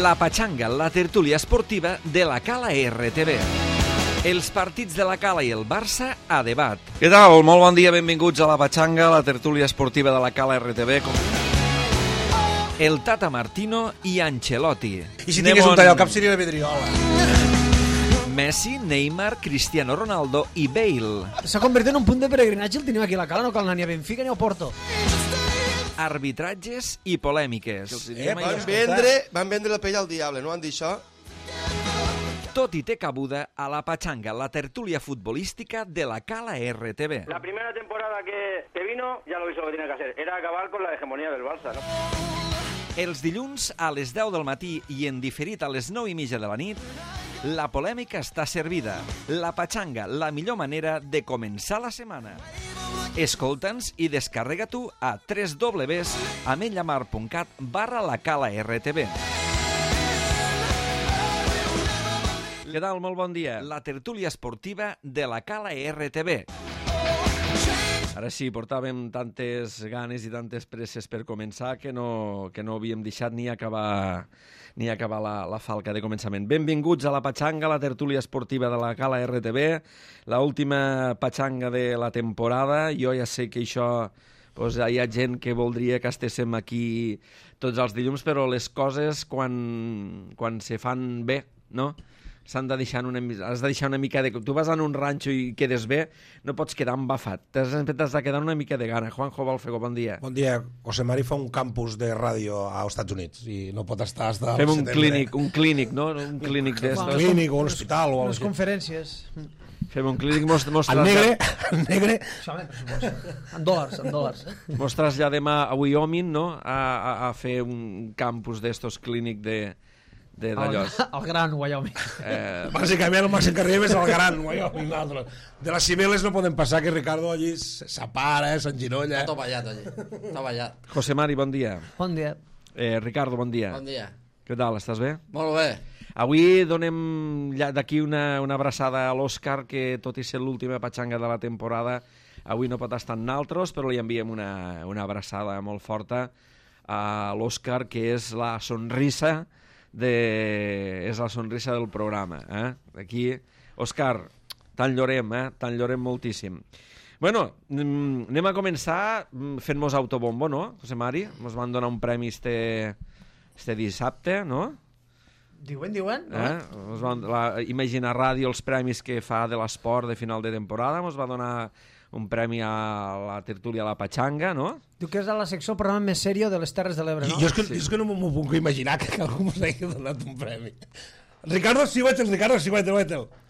La Patxanga, la tertúlia esportiva de la Cala RTV. Els partits de la Cala i el Barça a debat. Què tal? Molt bon dia, benvinguts a La Patxanga, la tertúlia esportiva de la Cala RTV. El Tata Martino i Ancelotti. I si tingués un tall al cap seria la Vidriola. Messi, Neymar, Cristiano Ronaldo i Bale. S'ha convertit en un punt de peregrinatge el tenim aquí a la Cala, no cal anar ni a Benfica ni a Porto. Arbitratges i polèmiques. Van vendre la pell al diable, no van dir això? Tot i té cabuda a La Patxanga, la tertúlia futbolística de la Cala RTV. La primera temporada que vino, ya lo hizo lo que tenía que hacer. Era acabar con la hegemonía del Barça, ¿no? Els dilluns a les 10 del matí i en diferit a les 9:30 de la nit, la polèmica està servida. La Patxanga, la millor manera de començar la setmana. Escolta'ns i descarrega-t'ho a www.amenyamar.cat/lacala-rtv. Què tal? Molt bon dia. La tertúlia esportiva de la Cala RTV. Ara sí, portàvem tantes ganes i tantes presses per començar que no havíem deixat ni acabar la falca de començament. Benvinguts a la Patxanga, la tertúlia esportiva de la Cala RTV, l'última Patxanga de la temporada. Jo ja sé que això, doncs, hi ha gent que voldria que estéssim aquí tots els dilluns, però les coses quan se fan bé, no?, has de deixar una mica de... Tu vas a un ranxo i quedes bé, no pots quedar embafat. T'has de quedar una mica de gana. Juanjo Balfego, bon dia. Bon dia. José Mari fa un campus de ràdio als Estats Units i no pot estar fins al Fem setembre. un clínic, no? Un clínic d'estos. Un clínic o un hospital. O unes conferències. Fem un clínic, mos el negre. En dòlars. Mos traslladem a Wyoming, no? A fer un campus d'estos clínic d'allò. El gran Wyoming. Bàsicament el màxim que arribem és el gran Wyoming. De les Cibeles no podem passar, que Ricardo allí s'apara, s'enginolla. Està ballat allí, està ballat. José Mari, bon dia. Bon dia. Ricardo, bon dia. Bon dia. Què tal, estàs bé? Molt bé. Avui donem d'aquí una abraçada a l'Òscar, que tot i ser l'última Patxanga de la temporada, avui no pot estar en naltros, però li enviem una abraçada molt forta a l'Òscar, que és la sonrisa del programa. Aquí, Òscar, te'n llorem moltíssim. Bueno, anem a començar fent-nos autobombo, no, José Mari? Ens van donar un premi este dissabte, no? Diuen? Imagina Ràdio, els premis que fa de l'esport de final de temporada, ens va donar un premi a la tertúlia a la Patxanga, no? Diu que és la secció, el programa més serio de les Terres de l'Ebre, no? Jo és que no m'ho puc imaginar que algú ens hagi donat un premi. Ricardo, síguete.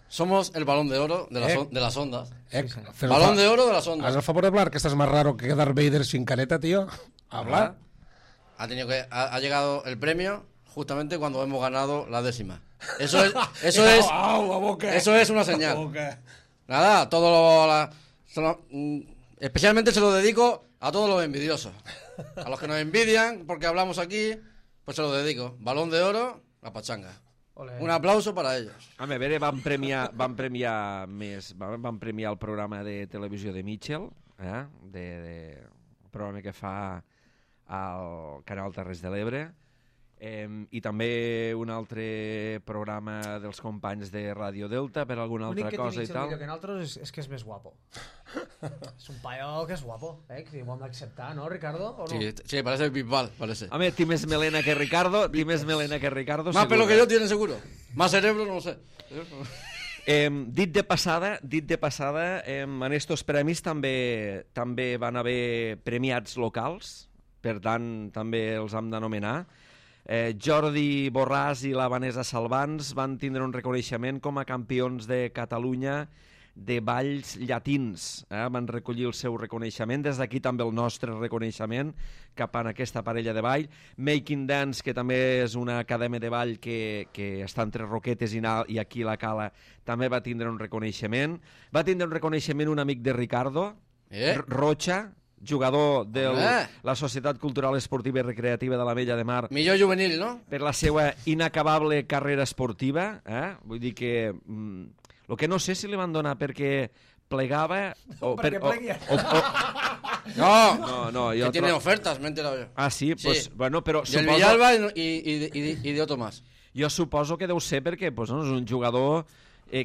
Somos el balón de oro de las ondas. Balón de oro de las ondas. Haz el favor de hablar, que estás más raro que Darth Vader sin careta, tío. Habla. Ha llegado el premio justamente cuando hemos ganado la 10ª. Eso es una señal. Nada, especialmente se lo dedico a todos los envidiosos. A los que nos envidian porque hablamos aquí, pues se lo dedico. Balón de oro, la Patxanga. Olé. Un aplauso para ellos. A veure, van premiar el programa de televisió de Mitchell, el programa que fa al Canal Terres de l'Ebre, i també un altre programa dels companys de Ràdio Delta per alguna altra cosa i tal. L'únic que nosaltres és que és més guapo. És un paio que és guapo, que ho hem d'acceptar, ¿no, Ricardo? ¿O no? Sí, parece Bisbal, parece. Home, té més melena que Ricardo, Más pelo que yo tiene seguro. Más cerebro, no lo sé. Dit de passada, en estos premis també van haver premiats locals, per tant, també els hem d'anomenar. Jordi Borràs i la Vanessa Salvans van tindre un reconeixement com a campions de Catalunya de balls llatins. Van recollir el seu reconeixement. Des d'aquí també el nostre reconeixement cap a aquesta parella de ball. Making Dance, que també és una acadèmia de ball que està entre Roquetes i aquí la Cala, també va tindre un reconeixement. Va tindre un reconeixement un amic de Ricardo, Rocha, jugador de la Societat Cultural Esportiva i Recreativa de la Vella de Mar. Millor juvenil, no? Per la seva inacabable carrera esportiva. Vull dir que... El que no sé si li van donar perquè plegava... Perquè plegui. No, que tiene ofertas, me he enterado yo. Ah, sí? Pues, bueno, però Del Villalba i d'Otto más. Jo suposo que deu ser perquè pues, no, és un jugador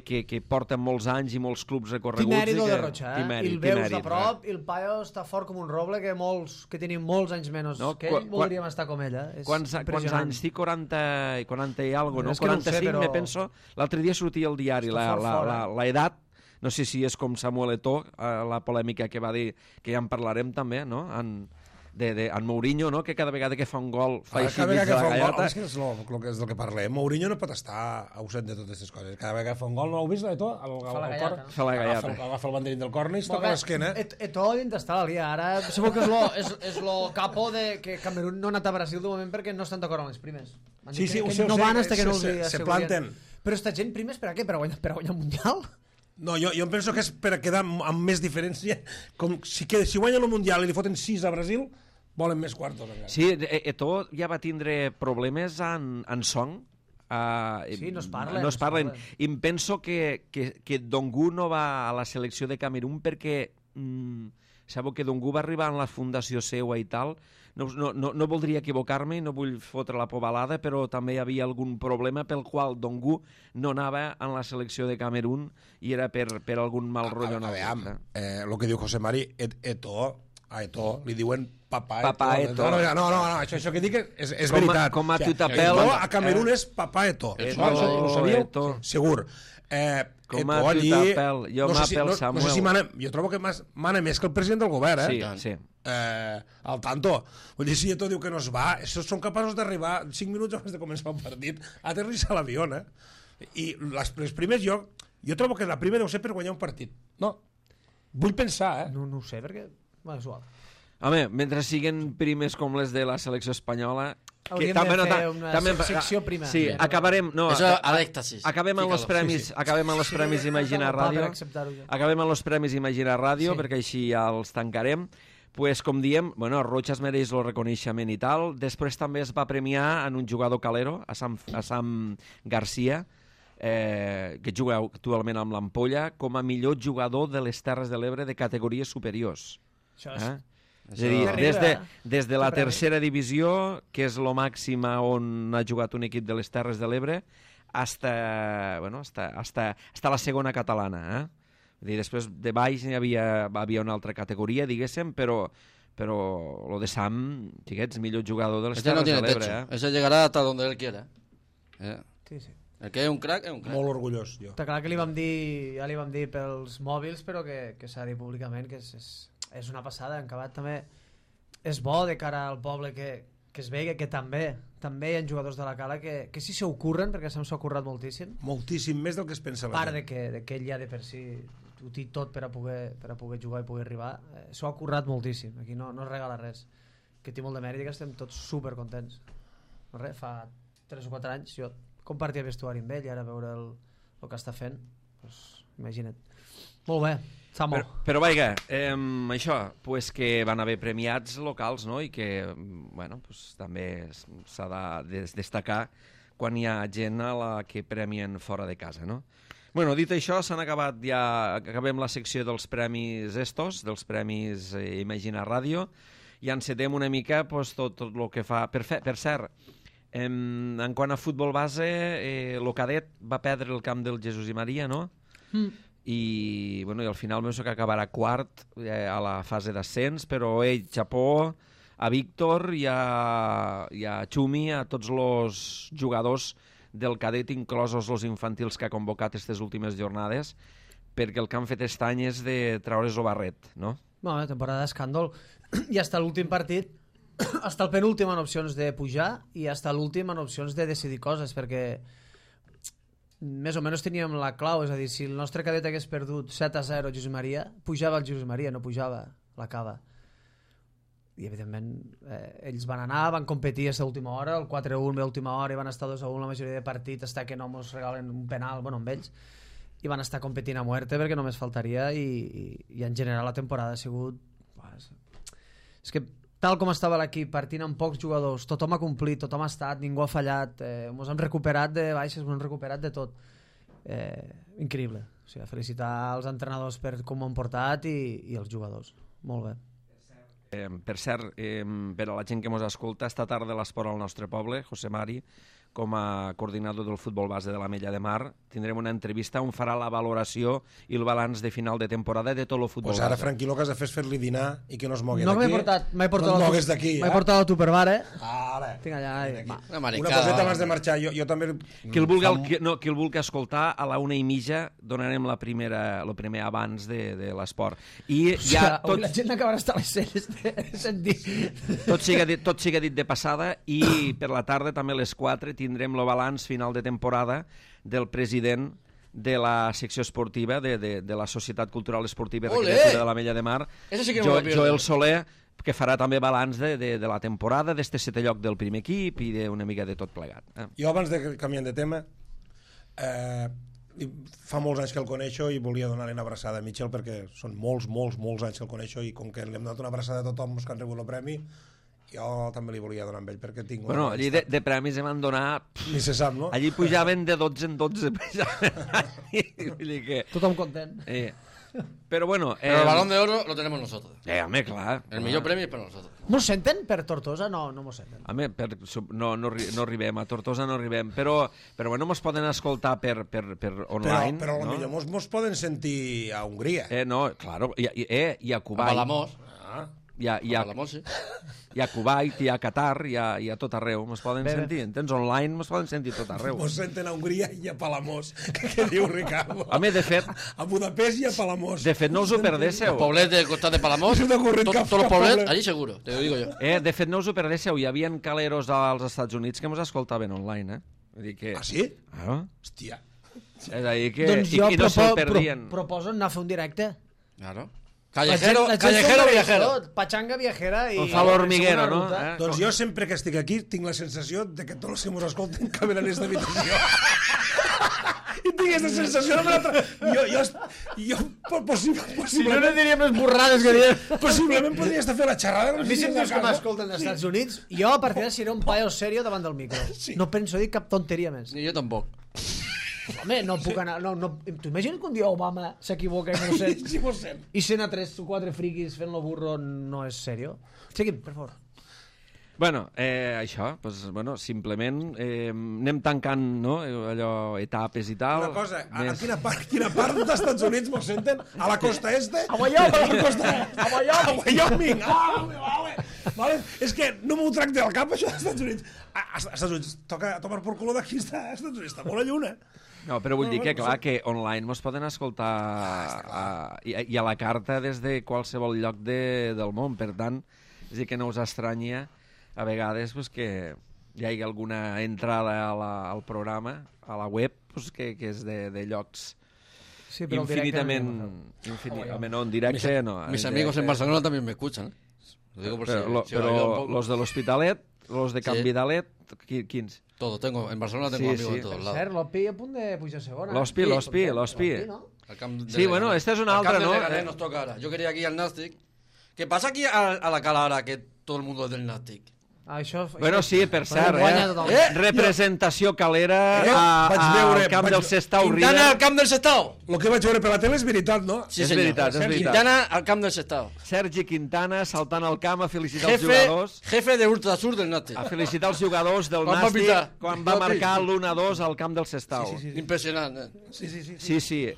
que porta molts anys i molts clubs recorreguts. Timèrido que... de Rocha, I el veus de prop i el paio està fort com un roble que tenim molts anys menys que ell, voldríem estar com ella. Quants anys? Sí, 40 i algo, no? 45, no sé, però... me penso. L'altre dia sortia al diari la edat, no sé si és com Samuel Eto'o, la polèmica que va dir, que ja en parlarem també, no? En Mourinho, no? Que cada vegada que fa un gol fa així mig de la gallata. És que és del que parlem. Mourinho no pot estar ausent de totes aquestes coses. Cada vegada que fa un gol, no heu vist l'Eto'o? Fa la gallata. Agafa el banderín del córner i es toca l'esquena. Eto'o dins d'estar a la Liga. Ara segur que és lo capo de que Camerún no ha anat a Brasil de moment perquè no estan d'acord amb les primes. Sí, ho sé. No van hasta que no els se planten. Però esta gent primes per a què? Per a guanyar el Mundial? No, jo em penso que és per a quedar amb més diferència. Com si guanyen el Mundial i li foten 6 a Brasil, volen més quartos encara. Sí, Eto'o ja va tindre problemes en Song. Sí, no es parlen. No es parlen. I em penso que Dongu no va a la selecció de Camerún perquè sabeu que Dongu va arribar en la fundació seua i tal. No voldria equivocar-me i no vull fotre la pobalada, però també hi havia algun problema pel qual Dongu no anava en la selecció de Camerún i era per algun mal rotllo. El que diu José Mari, a Eto'o li diuen papà Eto'o. No, això que dic és veritat. Com a Tutapel. Eto'o a Camerún és papà Eto'o. Ho sabíeu? Segur. Com a Tutapel. Jo m'apel Samuel. No sé si jo trobo que mana més que el president del govern, Sí. Al tanto. Vull dir, si Eto'o diu que no es va, són capaços d'arribar 5 minuts abans de començar el partit a aterrissar l'avió, I les primes jo trobo que la prima deu ser per guanyar un partit. No. Vull pensar, No ho sé, perquè... Bueno, és igual. Home, mentre siguen primes com les de la selecció espanyola... Hauríem de fer una secció prima. Sí, acabarem... No, això a l'èxtasis. Acabem amb els premis Imagina Ràdio. Acabem amb els premis Imagina Ràdio, perquè així ja els tancarem. Pues, com diem, Rocha es mereix el reconeixement i tal. Després també es va premiar en un jugador calero, a Sam Garcia, que juga actualment amb l'Ampolla, com a millor jugador de les Terres de l'Ebre de categories superiors. Això és... És a dir, des de la tercera divisió, que és lo màxim on ha jugat un equip de les Terres de l'Ebre, hasta la segona catalana. Vull dir, després de baix hi havia una altra categoria, diguéssim, però lo de Sam, xiquets, millor jugador de les Terres de l'Ebre. Ese llegará hasta donde él quiera. Sí. El que és un crack, és un crack. Molt orgullós, jo. Està clar que ja li vam dir pels mòbils, però que s'ha dit públicament que és una passada. En acabat també és bo de cara al poble que es vegi que també hi ha jugadors de la Cala que sí s'ho curren, perquè s'ho ha currat moltíssim. Moltíssim, més del que es pensa. A part de que ell ja de per si ho té tot per a poder jugar i poder arribar, s'ho ha currat moltíssim. Aquí no es regala res, que té molt de mèrit i que estem tots supercontents. No res, fa 3 o 4 anys jo compartia vestuari amb ell i ara veure el que està fent, doncs, imagina't. Molt bé, Samo. Però vaja, això, pues que van haver premiats locals, no? I que, bueno, pues, també s'ha de destacar quan hi ha gent a la que premien fora de casa, no? Bueno, dit això, s'han acabat ja... Acabem la secció dels premis estos, dels premis Imagina Ràdio, i encetem una mica pues, tot el que fa... Per cert, en quant a futbol base, el cadet va perdre el camp del Jesús i Maria, no? I al final penso que acabarà quart a la fase d'ascens, però xapó a Víctor i a Xumi, a tots els jugadors del cadet, inclosos els infantils que ha convocat aquestes últimes jornades, perquè el que han fet aquest any és de treure's el barret, no? Bueno, temporada d'escàndol. I hasta l'últim partit, hasta el penúltim en opcions de pujar i hasta l'últim en opcions de decidir coses, perquè més o menys teníem la clau, és a dir, si el nostre cadet hagués perdut 7-0 Josep Maria, pujava el Josep Maria, no pujava la Cava. I evidentment ells van anar, van competir a l'última hora, el 4-1 a l'última hora, i van estar 2-1 la majoria de partits, fins que no ens regalen un penal, bueno, amb ells, i van estar competint a muerte perquè només faltaria, i en general la temporada ha sigut... És que tal com estava l'equip, partint amb pocs jugadors, tothom ha complit, tothom ha estat, ningú ha fallat, ens hem recuperat de baixes, ens hem recuperat de tot. Increïble. O sigui, felicitar els entrenadors per com ho han portat i els jugadors. Molt bé. Per cert, per a la gent que ens escolta, esta tarda l'esport al nostre poble, José Mari, com a coordinador del futbol base de l'Ametlla de Mar, tindrem una entrevista on farà la valoració i el balanç de final de temporada de tot el futbol Pues ara, base. Franqui, el que has de fer és fer-li dinar i que no es mogui No d'aquí. m'he portat no et mogues d'aquí. M'he portat a Tupperware, Ara. Tinc allà... Va. Una Una maricada. coseta abans de marxar. Jo també... Qui el vulgui escoltar, a la 1:30 donarem el primer abans de l'esport. I ja Avui la gent acabarà estar a les celles de sentir. tot siga dit de passada, i per la tarda també a les 4 tindrem el balanç final de temporada del president de la secció esportiva de la Societat Cultural Esportiva i Olé! Recreativa de l'Ametlla de Mar, Eso sí que no me lo pierdo. Joel Soler, que farà també balanç de la temporada, d'este 7è lloc del primer equip i d'una mica de tot plegat. Jo, abans de canviar de tema, fa molts anys que el coneixo i volia donar-li una abraçada a Michel, perquè són molts anys que el coneixo, i com que li hem donat una abraçada a tothom que han rebut el premi, jo també li volia donar amb ell, perquè tinc... Bueno, allí de premis em van donar... Ni se sap, no? Allí pujaven de 12 en 12. Vull dir que... Tothom content. Però bueno... Pero el balón de oro lo tenemos nosotros. Home, clar. El millor premi és per nosotros. Mos senten per Tortosa? No mos senten. Home, no arribem, a Tortosa no arribem, però bueno, mos poden escoltar per online. Però no? potser mos poden sentir a Hongria. No, claro, i a A Kuwait. Palamós. I a Palamós, sí. i a Kuwait, i a Qatar, i a tot arreu. Mos poden sentir, entens? Online mos poden sentir tot arreu. Mos senten a Hongria i a Palamós. Què diu Ricardo? Home, de fet, A Budapest i a Palamós. no us ho perdéssiu. Poblet del costat de Palamós. No se m'ha ocurrit cap Todos los poblets, poblet. allí seguro, te lo digo yo. De fet, no us ho perdéssiu. Hi havia caleros als Estats Units que mos escoltaven online, Vull dir que... Ah, sí? Claro. Hòstia. És a dir que... Doncs jo I no se'l perdien. proposo anar a fer un directe. Claro. La Callejero, gent callejero s'ho mereix viajero. tot. Pachanga viajera i... Com fa l'hormiguero, no? segona ruta. Doncs jo sempre que estic aquí tinc la sensació de que tots els que mos escolten caben en aquesta habitació. I tinc aquesta sensació de l'altra... Jo possiblement... no diríem les borrades que diem. Possiblement podria estar fent la xerrada. A mi si em dius que m'escolten dels Estats Units, jo a partir de seré un paio serio davant del micro. Sí. No penso dir cap tonteria més. Ni yo tampoco. Home, no puc anar... T'ho imagines que un dia Obama s'equivoca i no ho sent? Sí, mos sent. I sent a 3 o 4 friquis fent-lo burro no és serio? Seguim, per favor. Bueno, això, doncs, bueno, simplement anem tancant, no?, allò, etapes i tal. Una cosa, a quina part dels Estats Units mos senten? A la costa este? A Wyoming! A la costa... A Wyoming! Vale. És que no m'ho tracte al cap, això dels Estats Units. A Estats Units, toca tomar por culo d'aquí, està, als Estats Units, està molt a lluna. No, però vull dir que, clar, que online mos poden escoltar i a la carta des de qualsevol lloc del món, per tant, és a dir, que no us estranya a vegades pues, que hi hagi alguna entrada al programa, a la web, pues, que és de llocs Sí, però el directe infinitament, no, en directe no. Mis amigos en Barcelona también me escuchan. Lo digo por si Però he oído un poco. los de l'Hospitalet, los de Can Sí. Vidalet, quins? Todo, en Barcelona tengo Sí, amigos sí. en todos Per lados. cert, l'Opi a punt de pujar a segona. L'Hospi. no? Al camp de Sí, bueno, Leganés. esta es una Al camp altra, de ¿no? Leganés nos toca ahora. Yo quería aquí al Nastic. ¿Qué pasa aquí a la cala ahora que todo el mundo es del Nastic? Bueno, sí, per cert, guanya totalment. representació calera vaig veure- al camp del Sestao Quintana River. al camp del Sestao. El que vaig veure per la tele és veritat, no? Sí, És señor. veritat, és veritat. Quintana al camp del Sestao. Sergi Quintana saltant al camp a felicitar els jugadors. Jefe de Ultrasur del Nastic. A felicitar els jugadors del Quan va Nàstic pitar? quan va marcar l'1-2 al camp del Sestao. Impresionante. Sí.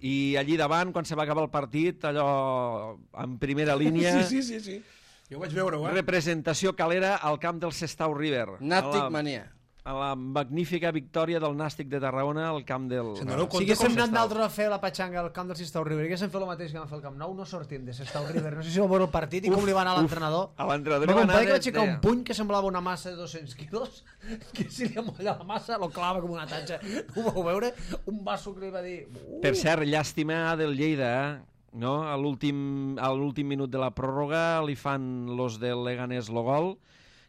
I allí davant, quan se va acabar el partit, allò en primera línia, Sí. Jo ho vaig veure, representació calera al camp del Sestao River. Nastic manía. A la magnífica victòria del Nàstic de Tarragona al camp del... Si haguéssim anat d'altres a fer la petxanga al camp del Sestao River i haguéssim fet el mateix que vam fer al Camp Nou, no sortim de Sestao River. No sé si vau veure el partit i com li va anar a l'entrenador. A l'entrenador Va li va anar compadre que va de- aixecar de- un puny que semblava una massa de 200 quilos, que si li amolla la massa lo clava com una tatxa. Ho vau veure? Un vaso que li va dir... Per cert, llàstima del Lleida, no? A l'últim minut de la pròrroga li fan los del Leganés lo gol.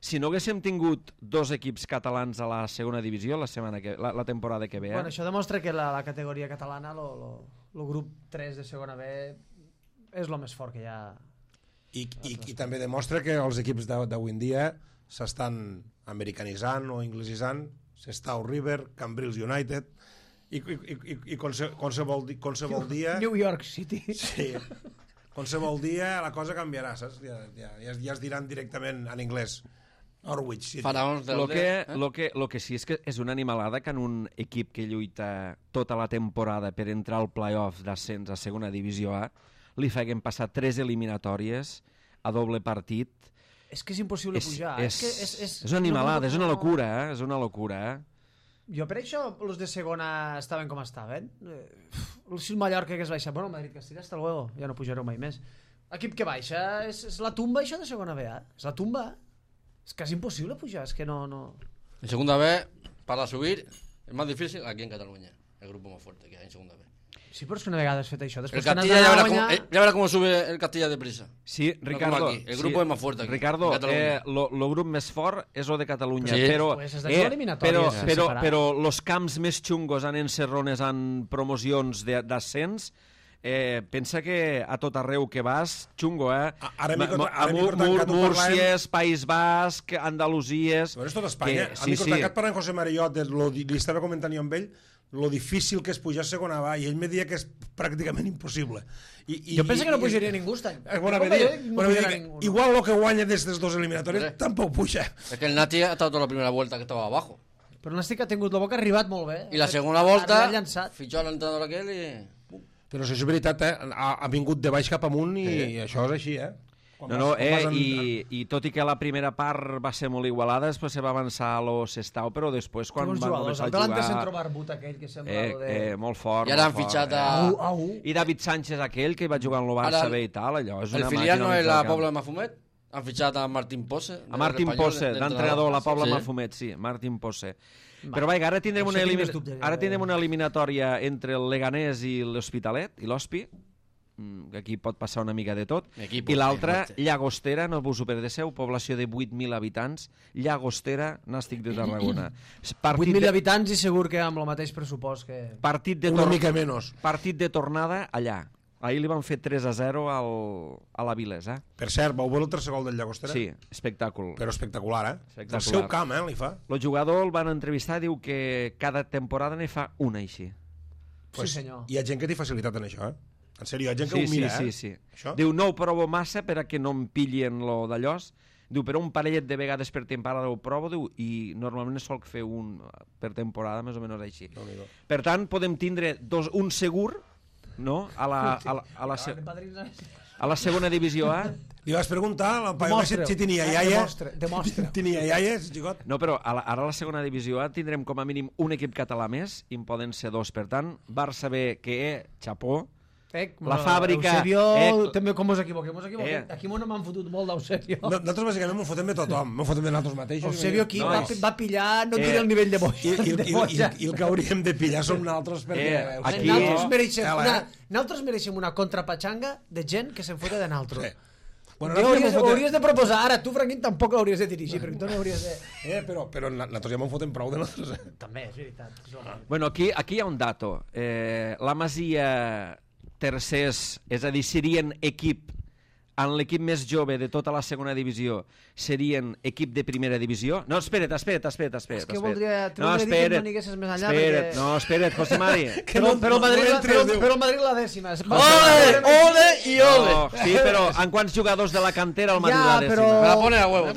Si no haguéssim tingut dos equips catalans a la segona divisió la temporada que ve, Bueno, això demostra que la categoria catalana, el grup 3 de segona B, és el més fort que hi ha. I també demostra que els equips d'avui en dia s'estan americanitzant o inglesisant. Sestao River, Cambrils United i qualsevol dia... New York City. Sí. qualsevol dia la cosa canviarà, saps? Ja es diran directament en anglès. Norwich City. Faraons del Lo que sí és que és una animalada que en un equip que lluita tota la temporada per entrar al play-off d'ascens a segona divisió A li feien passar 3 eliminatòries a doble partit. És que és impossible pujar. És una animalada, és una locura, és una locura. Jo per això els de segona estaven com estaven. El Mallorca que es baixa. Bueno, Madrid-Castilla, hasta luego. Ja no pujareu mai més. Equip que baixa, és la tumba això de segona B, és la tumba. És quasi imposible pujar, és que no... En segunda B, para subir, es más difícil aquí en Cataluña. El grupo más fuerte que hay en segunda B. Sí, però és que una vegada has fet això. El Castilla ya verá cómo sube el Castilla de prisa. Sí, Ricardo. No el grupo es más fuerte aquí. Ricardo, el grup més fort és el de Catalunya, sí. però els camps més xungos en encerrones en promocions d'ascens, pensa que a tot arreu que vas, xungo, Múrcies, País Basc, Andalusies... Però és tot Espanya. A mi Cortancat parlant amb José Mariot, li estava comentant jo amb ell lo difícil que és pujar a segona va, i ell me deia que és pràcticament impossible. Jo penso que no pujaria ningú aquest any. Igual el que guanya d'aquestes dos eliminatòries tampoc puja. És que el Nati ha estat la primera volta que estava abajo. Però el Nati que ha tingut la boca ha arribat molt bé. I la segona volta fitxar l'entrenador aquell i... Però si és veritat, ha vingut de baix cap amunt i això és així, i tot i que la primera part va ser molt igualada, després se va avançar a lo Sestao, però després quan van començar a jugar... El centre barbut aquell que sembla... Molt fort. I ara han fitxat a... I David Sánchez aquell, que hi va jugar en el Barça B i tal, allò és una màquina... El filial no és la Pobla de Mafumet? Han fitxat a Martín Posse? A Martín Posse, d'entrenador, la Pobla Mafumet, sí, Martín Posse. Però vaja, ara tindrem una eliminatòria entre el Leganés i l'Hospitalet, i l'Hospi, que aquí pot passar una mica de tot, i l'altra, Llagostera, no us ho perdesseu, població de 8.000 habitants, Llagostera, Nàstic de Tarragona. 8.000 habitants i segur que amb el mateix pressupost que... Una mica menys. Partit de tornada allà. Ahir li van fer 3-0 a la Vilesa. Per cert, vau veure el tercer gol del Llagostera? Sí, espectacle. Però espectacular, El seu camp, li fa. El jugador el van entrevistar i diu que cada temporada ne fa una així. Sí, senyor. Hi ha gent que té facilitat en això, En sèrio, hi ha gent que ho mira, Sí. Diu, no ho provo massa per a que no em pillin lo d'allòs. Diu, però un parellet de vegades per temporada ho provo, diu, i normalment sol fer un per temporada, més o menys així. Per tant, podem tindre un segur, no?, a la segona divisió A. Li vas preguntar al paio si tenia iaia. Demostra. Tenia iaia, xigot? No, però ara a la segona divisió A tindrem com a mínim un equip català més, i en poden ser dos. Per tant, Barça B, que xapó, la fàbrica... Eusebio, també com us equivoquem. Aquí m'ho m'han fotut molt d'Eusebio. Nosaltres bàsicament m'ho fotem de tothom, m'ho fotem de nosaltres mateixos. Eusebio aquí va pillar, no tira el nivell de boja. I el que hauríem de pillar som nosaltres, perquè... Nosaltres mereixem una contrapatxanga de gent que se'n fota de nosaltres. Bueno, hauries de proposar, ara tu, Franquín, tampoc l'hauries de dirigir, perquè tu no hauries de... Però nosaltres ja me'n fotem prou de nosaltres. També, és veritat. Bueno, aquí hi ha un dato. La Masia tercers, és a dir, serien equip, en l'equip més jove de tota la segona divisió, serien equip de primera divisió? No, espera't. És que voldria dir que no anessis més enllà. Espera't, José Mari. Però el Madrid la dècima. Ole i ole. Sí, però en quants jugadors de la cantera el Madrid la dècima? Me la pone a huevo.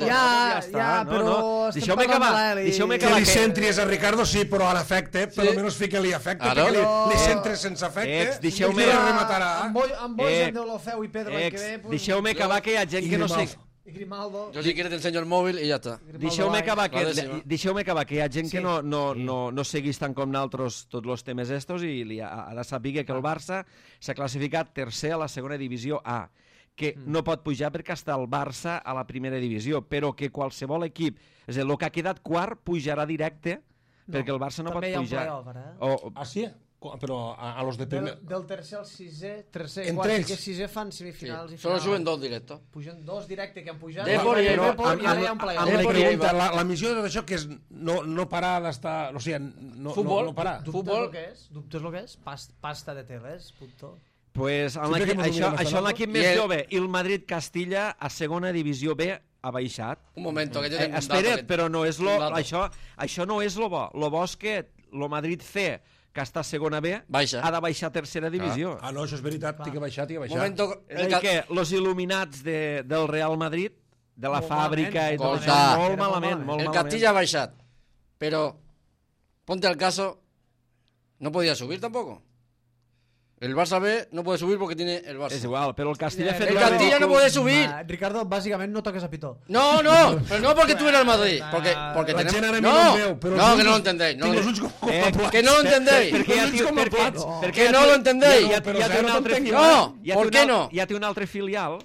Però deixeu-me acabar. Que li centris a Ricardo, sí, però en efecte, per almenys fica-li efecte, perquè li centres sense efecte. Deixeu-me... Amb Bojan de Olofeu i Pedro que ve... Deixeu-me acabar, que hi ha gent que no sé... I Grimaldo. Yo si quieres te enseño el móvil y ya está. Deixeu-me acabar, que hi ha gent que no seguís tant com nosaltres tots els temes estos i ara sàpiga que el Barça s'ha classificat tercer a la segona divisió A, que no pot pujar perquè està el Barça a la primera divisió, però que qualsevol equip, és a dir, el que ha quedat quart pujarà directe perquè el Barça no pot pujar. Ah, sí? Però a los de primer... Del tercer al sisè, entre ells. Que sisè fan semifinals i finals. Solo suben dos directos. Pugen dos directe que han pujat. Depor i ara hi ha un playoff. La missió de tot això que és no parar d'estar... O sigui, no parar. Futbol. Dubtes el que és? Pasta de teles, puto. Pues això en l'equip més jove. I el Madrid-Castilla a segona divisió B ha baixat. Un momento, que jo tinc un dato. Espera't, però no és això no és lo bo. Lo bo és que el Madrid C, que està a segona B, Baixa. ha de baixar a tercera divisió. Ah, no, això és veritat, té que baixar, Momento, És a dir, que els il·luminats del Real Madrid, de la Molt fàbrica i tot Escolta. això, molt malament, molt el malament. Castilla ha baixat, pero ponte al caso, no podía subir tampoco. El Barça B no puede subir porque tiene el Barça. És igual, però el Castilla ha fet... El Castilla no puede subir. Ricardo, bàsicament no toques a pitó. No, pero no porque tú eres el Madrid. Porque La tenemos... gent ara No, mira el meu, però no, els que no lo ulls- entendéis. No, tinc els ulls com plats. que no lo entendéis. Perquè ja té, Que no lo entendéis. Ja té un altre filial. No, Ja té ¿por un qué al- no? Ja té un altre filial.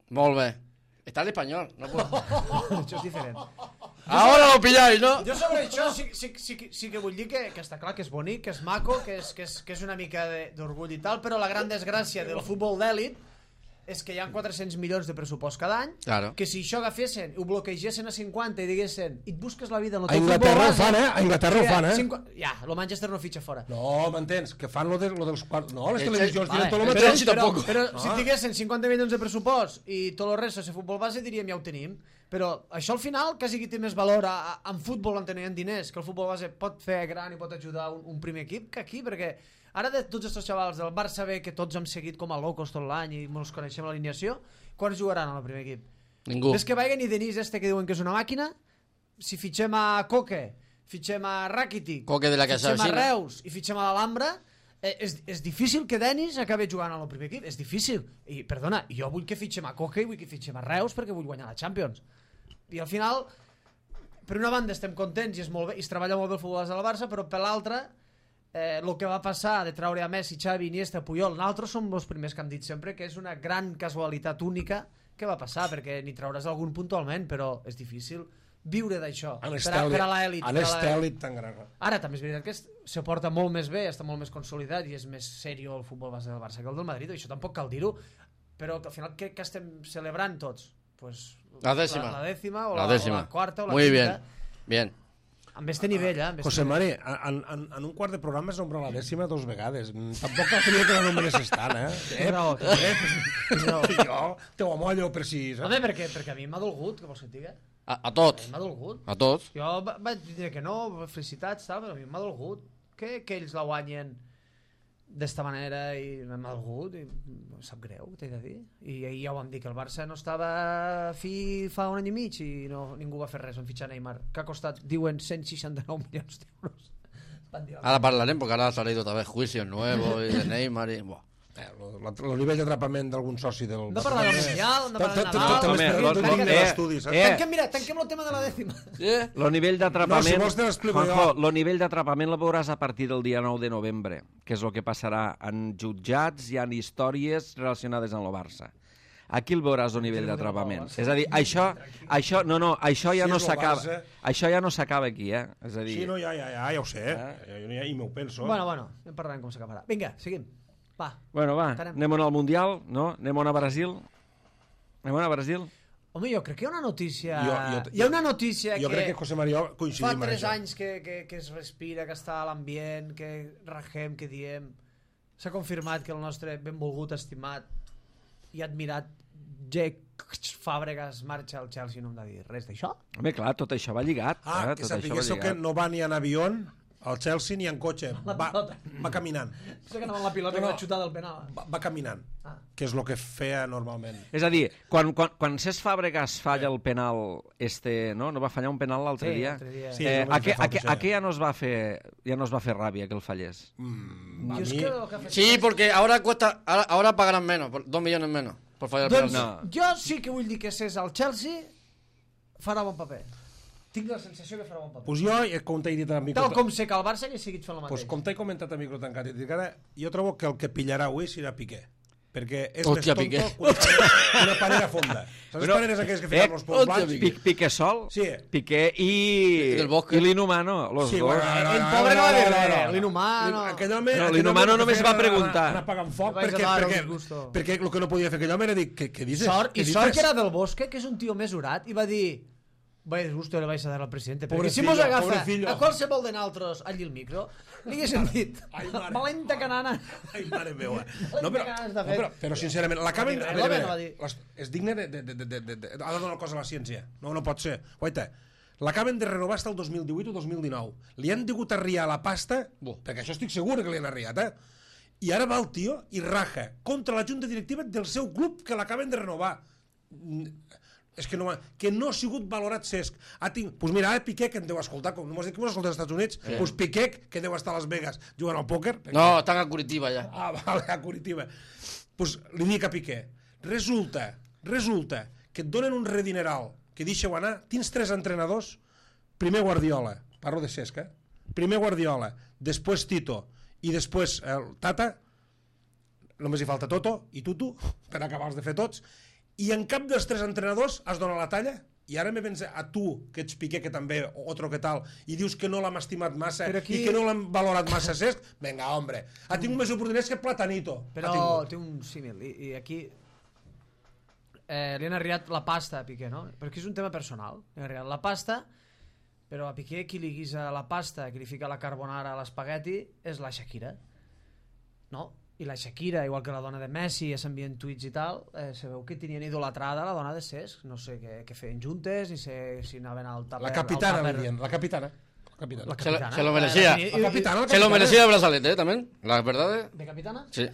Molt bé. Está el español. No puedo. Això és diferent. Ahora lo pilláis, ¿no? Jo sobre això sí que vull dir que està clar que és bonic, que és maco, que és una mica d'orgull i tal, però la gran desgràcia del futbol d'èlit és que hi ha 400 milions de pressupost cada any, Claro. que si això agafessin, ho bloquegessin a 50 i diguessin, i et busques la vida en el A teu Inglaterra ho futbol fan, A Inglaterra ho fan, Ja, el Manchester no fitxa fora. No, m'entens? Que fan lo dels quarts... No, les Sí, televisions vale, diuen tot el però- mateix. sí, tampoc. Però si tinguessin 50 milions de pressupost i tot el resto de futbol base, diríem ja ho tenim. Però això al final quasi que té més valor en futbol on tenien diners, que el futbol base pot fer gran i pot ajudar un primer equip que aquí, perquè ara de tots aquests xavals del Barça B, que tots hem seguit com a locos tot l'any i ens coneixem l'alineació, quants jugaran al primer equip? Ningú. És que vagin i Denis que diuen que és una màquina, si fitxem a Coque, fitxem a Rakitic, Coque de la que fitxem a s'avecina. Reus i fitxem a l'Alhambra, és difícil que Denis acabi jugant al primer equip, és difícil. I, perdona, jo vull que fitxem a Coque i vull que fitxem a Reus perquè vull guanyar la Champions. I al final, per una banda estem contents i és molt bé, i es treballa molt bé el futbol del Barça, però per l'altra, el que va passar de treure a Messi, Xavi, Iniesta, Puyol, nosaltres som els primers que hem dit sempre que és una gran casualitat única que va passar, perquè n'hi trauràs algun puntualment, però és difícil viure d'això per a l'elit. En l'estèlit tan gran. Ara també és veritat que se porta molt més bé, està molt més consolidat i és més serio el futbol base del Barça que el del Madrid, això tampoc cal dir-ho, però al final què estem celebrant tots? Pues La décima. la dècima o La la décima. quarta o la Muy quinta. bien. Amb este nivell, amb este José nivell. Mari, en un quart de programa es nombra la dècima 2 vegades. Tampoc cal tenir que la nombres estant, Tens raó, tens raó. Jo te ho amollo per si... Home, perquè a mi m'ha dolgut, que vols que et digui? A tots. M'ha dolgut. A tots. Jo vaig dir que no, felicitats, tal, però a mi m'ha dolgut que ells la guanyen d'esta manera i m'ha dolgut i em sap greu, t'he de dir. I ahir ja ho vam dir, que el Barça no estava fi fa un any i mig i ningú va fer res en fitxar Neymar, que ha costat, diuen, 169 milions d'euros. Van dir, Ahora hablarem porque ahora ha salido otra vez juicios nuevos y de Neymar y... Buah. El nivell d'atrapament d'algun soci del... no parlar del Mundial, no parlar de Nadal. Home, Tanquem el tema de la dècima. el nivell d'atrapament... No, si vols te l'explico jo. Juanjo, el nivell d'atrapament el veuràs a partir del dia 9 de novembre, que és el que passarà en jutjats i en històries relacionades amb el Barça. Aquí el veuràs el nivell d'atrapament. És a dir, això ja no s'acaba. Això ja no s'acaba aquí, És a dir... Sí, no, ja ho sé. I m'ho penso. Bueno, en parlarem com s'acabarà. Vinga, seguim. Va. Bueno, va, Anem. anem al Mundial, no? Anem a Brasil. Anem a Brasil. Home, jo crec que hi ha una notícia... Jo- hi ha una notícia Jo crec que José María fa coincidim en 3 això. anys que es respira, que està a l'ambient, que rajem, que diem... S'ha confirmat que el nostre benvolgut, estimat i admirat Jake Fàbregas marxa al Chelsea, no hem de dir res d'això? Home, clar, tot això va lligat. Que tot sapiguéssiu que no va ni en avió al Chelsea ni en cotxe. Va caminant. Sé que anava amb la pilota i va xutar del penal. Va caminant. Que és el que feia normalment. És a dir, quan Cesc Fàbregas falla el penal, no va fallar un penal l'altre dia? Sí, a què ja no es va fer ràbia que el fallés? Jo és que el que ha fet- Sí, porque ahora cuesta, ahora pagarán menos, 2 millones menos por fallar el Doncs penalti. jo sí que vull dir que si és al Chelsea farà bon paper. Tinc la sensació que farà bon paper. Pues jo, com t'he dit a micro... Tal com sé que el Barça hagi seguit fent el mateix. Pues com t'he comentat a micro tancat, jo trobo que el que pillarà avui serà Piqué. Perquè és Hòstia, més Piqué. tonto que una panera fonda. Saps les paneres aquelles que fiquen els pols hòstia, blancs? Piqué sol, Sí. Piqué Del Bosque. i l'Inhumano, los Sí, dos. bueno, El pobre no va dir res, l'Inhumano. Aquell home... No, aquell l'Inhumano home només feia va preguntar. Anar apagant foc Vaig a dar perquè un gusto. el que no podia fer aquell home era dir, què dices? Sort, Què I dices? sort que era del Bosque, que és un tio mesurat, i va dir... Vaya disgusto le vais a dar al presidente. Perquè si Pobrecillo, mos agafa pobrecillo. a qualsevol de naltros allí el micro, li haguéssim dit Ai, mare. valenta canana. Ai, mare meva. No, però sincerament, l'acaben... L'home no va dir. És digne de... Ha de donar cosa a la ciència. No pot ser. Guaita, l'acaben de renovar fins al 2018 o 2019. Li han degut arriar la pasta, perquè això estic segur que li han arriat, i ara va el tio i raja contra la junta directiva del seu club que l'acaben de renovar. És que no ha sigut valorat Cesc. Pues mira, ara Piqué, que em deu escoltar, com m'has dit que m'has escoltat als Estats Units, pues Piqué, que deu estar a Las Vegas jugant al pòquer. No, estan a Curitiba ja. Vale, a Curitiba. Pues li dic a Piqué, resulta que et donen un redineral que deixeu anar, tens 3 entrenadors, primer Guardiola, parlo de Cesc, primer Guardiola, després Tito i després el Tata, només hi falta Toto i Tutu per acabar-los de fer tots, i en cap dels 3 entrenadors has donat la talla, i ara me vens a tu, que ets Piqué, que també, otro que tal, i dius que no l'hem estimat massa i que no l'hem valorat massa Cesc. Venga, hombre, ha tingut més oportunitats que Platanito. Però té un símil, i aquí li han arribat la pasta a Piqué, no? Perquè és un tema personal. Li han arribat la pasta, però a Piqué qui li guisa la pasta, qui li fica la carbonara a l'espagueti, és la Shakira. No? I la Shakira, igual que la dona de Messi, ja s'envien tuits i tal, sabeu que tenien idolatrada la dona de Cesc, no sé què feien juntes, ni sé si anaven al tàper... La capitana, li diuen, la capitana. Se lo merecía. Se lo merecía el brazalete, también. La verdad. ¿De capitana? Sí.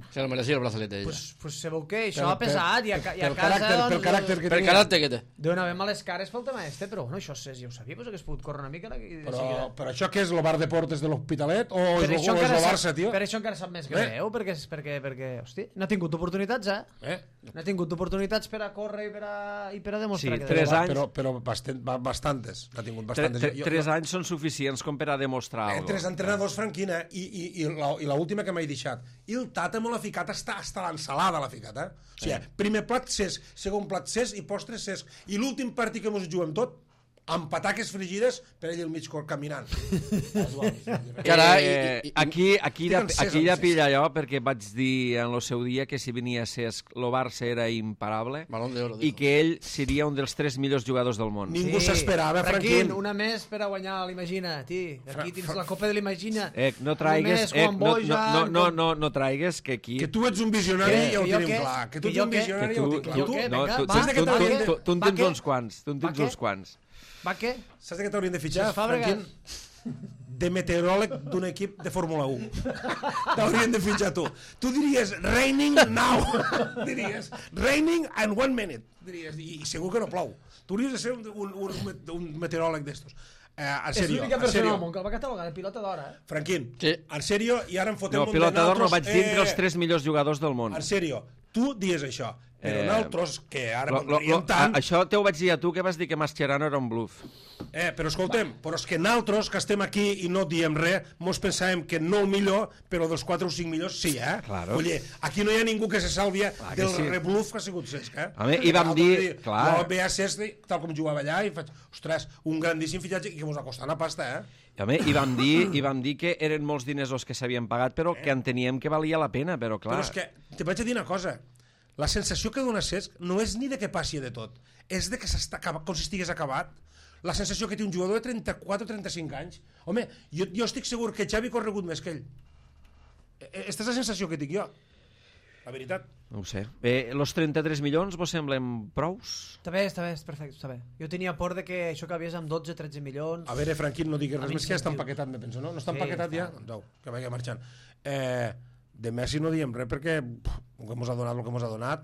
Se lo merecía el brazalete ella. Pues sabeu què? Això ha pesat i a casa... Pel caràcter que té. Per caràcter que té. Deuen haver males cares pel tema però bueno, això ja ho sabia, que es pot córrer una mica. Però això què és, el bar de portes de l'Hospitalet o és el Barça, tio? Per això encara sap més greu, perquè hosti, no ha tingut oportunitats, no ha tingut oportunitats per a córrer i per a demostrar que... Sí, 3 anys... Però bastantes. N'ha tingut bastantes. 3 anys són suficients com per a demostrar alguna cosa. 3 entrenadors, Franquina, i l'última que m'he deixat. I el Tata me l'ha ficat, està l'ensalada l'ha ficat, O sigui, primer plat Cesc, segon plat Cesc i postres Cesc. I l'últim partit que mos juguem tot, amb pataques frigides per ell al mig cor caminant. Aquí ja pilla jo, perquè vaig dir en el seu dia que si venia Cesc, el Barça era imparable i que ell seria un dels 3 millors jugadors del món. Ningú s'esperava, Franquín. Una més per a guanyar l'Imagina, aquí tens la Copa de l'Imagina. No traigues, no traigues que aquí... Que tu ets un visionari i ho tenim clar. Que tu ets un visionari i ho tenim clar. Tu en tens uns quants. Va, què? Saps de què t'haurien de fitxar, Franquín? De meteoròleg d'un equip de Fórmula 1. T'haurien de fitxar tu. Tu diries, raining now. Diries, raining in 1 minute. Diries, i segur que no plou. Tu hauries de ser un meteoròleg d'estos. En sèrio. És l'única persona al món que el va catalogar de pilota d'or, Franquín, en sèrio, i ara em fotem un de pilota d'or no vaig dir entre els 3 millors jugadors del món. En sèrio, tu dies això. Però nosaltres, que ara m'enriem tant... Això te ho vaig dir a tu, que vas dir que Mascherano era un bluff. Però escoltem, però és que nosaltres, que estem aquí i no diem res, mos pensàvem que no el millor, però dels 4 o 5 millors sí, Claro. Oye, aquí no hi ha ningú que se salvia del rebluff que ha sigut Cesc, I vam dir... Jo veia Cesc, tal com jugava allà, i faig, ostres, un grandíssim fitxatge que mos ha costat una pasta, I vam dir que eren molts diners els que s'havien pagat, però que enteníem que valia la pena, però clar... Però és que, te vaig a dir una cosa, la sensació que dona Cesc no és ni de que passi de tot, és de que com si estigués acabat. La sensació que té un jugador de 34 o 35 anys. Home, jo estic segur que Xavi ha corregut més que ell. Aquesta és la sensació que tinc jo. La veritat. No ho sé. Los 33 milions vos semblen prous? Està bé, perfecte, està bé. Jo tenia por de que això acabies amb 12-13 milions... A veure, Franquín, no diguis res més que ja està empaquetat, me penso, no? No està empaquetat ja? Doncs que vagi marxant. De Messi no diem res perquè el que ens ha donat el que ens ha donat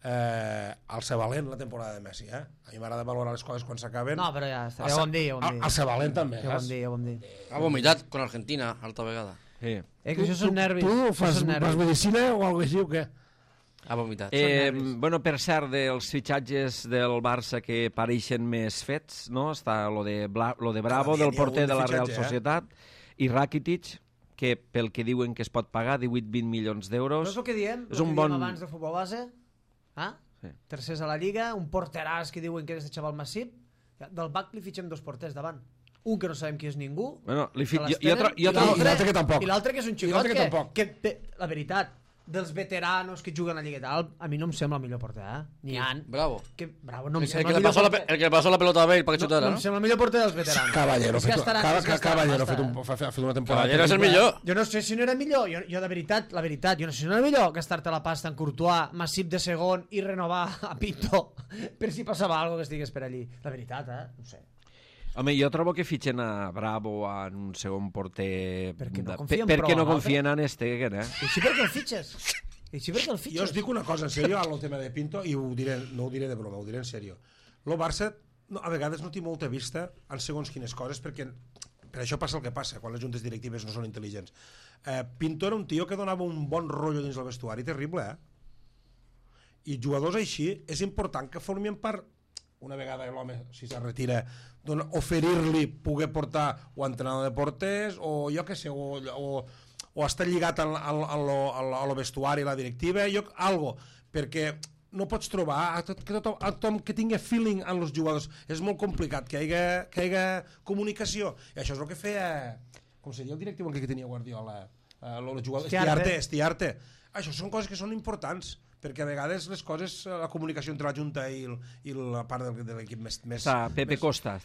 el ser valent la temporada de Messi, A mi m'agrada valorar les coses quan s'acaben. No, però ja està, ja ho vam dir. El ser valent també, ja ho vam dir. Ha vomitat con Argentina alta vegada. Que això són nervis. Tu fas medicina o alguna cosa així o què? Ha vomitat. Bueno, per cert, dels fitxatges del Barça que pareixen més fets, no? Està lo de Bravo, del porter de la Real Societat, i Rakitic, que pel que diuen que es pot pagar 18-20 milions d'euros. No és el que diem, abans de futbol base, tercers a la Lliga, un porteràs que diuen que és de xaval massip, del BAC li fitxem 2 porters davant. Un que no sabem qui és ningú, i l'altre que tampoc. I l'altre que és un xicot que, la veritat, dels veteranos que juguen a Lliga i tal, a mi no em sembla el millor porter, Ni han. Bravo. Bravo no em sembla el que le pasó la pelota a Bale para que chutara, no? No em sembla el millor porter dels veteranos. Caballero ha fet una temporada. Caballero és el millor. Jo no sé si no era millor, jo de veritat, jo no sé si no era millor gastar-te la pasta en Courtois, Massip de segon i renovar a Pinto per si passava alguna que estigués per allí. La veritat, no sé. Home, jo trobo que fitxen a Bravo en un segon porter... Perquè no confien perquè prou no en confien en Stegen, I així per què el fitxes? Jo us dic una cosa, en sèrio, al tema de Pinto, i no ho diré de broma, ho diré en sèrio. El Barça a vegades no té molta vista en segons quines coses, perquè per això passa el que passa, quan les juntes directives no són intel·ligents. Pinto era un tio que donava un bon rotllo dins el vestuari, terrible, I jugadors així és important que formin part, una vegada l'home, si se retira, oferir-li poder portar o entrenador de porters o jo què sé, o estar lligat a lo vestuari, a la directiva, algo, perquè no pots trobar tothom que tingui feeling en els jugadors. És molt complicat que hi hagi comunicació. I això és el que feia, com seria el directiu que tenia Guardiola, el jugador Estiarte. Això són coses que són importants, perquè a vegades les coses, la comunicació entre la Junta i la part de l'equip més... Està Pepe Costa.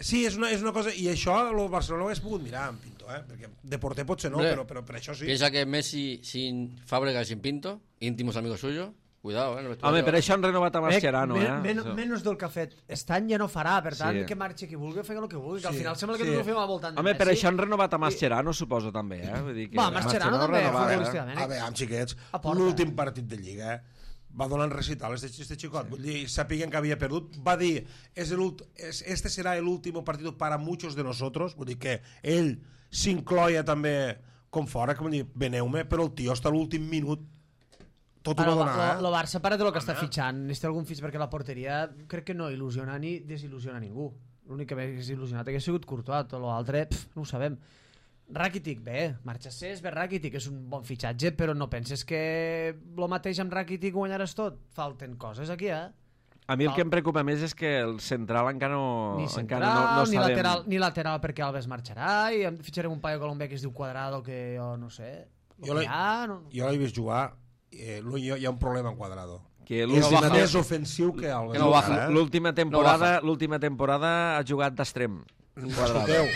Sí, és una cosa, i això el Barcelona ho hagués pogut mirar amb Pinto, perquè de porter potser no, però per això sí. Piensa que Messi sin Fábregas sin Pinto, íntimos amigos suyos, cuidado, Home, per això han renovat a Mascherano, Menys del que ha fet. Estan ja no farà, per tant, que marxi qui vulgui, fer el que vulgui, que al final sembla que no ho fem al voltant de Messi. Home, per això han renovat a Mascherano, suposo, també, Mascherano també, futbolísticament. A veure, xiquets, l'últim partit de Lliga va donant recitales este xicot, vull dir, sapiguen que havia perdut, va dir, este serà l'últim partit para muchos de nosotros, vull dir que ell s'incloia també com fora, que vull dir, veneu-me, però el tio està a l'últim minut tot ho va donar, el Barça para de lo que està fitxant, necessita algun fitx perquè la porteria crec que no il·lusiona ni desil·lusiona ningú. L'únic que m'hagués il·lusionat hagués sigut Courtois, tot l'altre no ho sabem. Rakitic, bé, marxa Cés, bé Rakitic, és un bon fitxatge, però no penses que el mateix amb Rakitic guanyaràs tot? Falten coses aquí, A mi el que em preocupa més és que el central encara no... Ni central, ni lateral perquè Alves marxarà, i fitxarem un paio colombià que es diu Cuadrado, que jo no sé... Jo l'he vist jugar, hi ha un problema en Quadrado. Que més ofensiu que Alves. L'última temporada ha jugat d'extrem. Escolteu,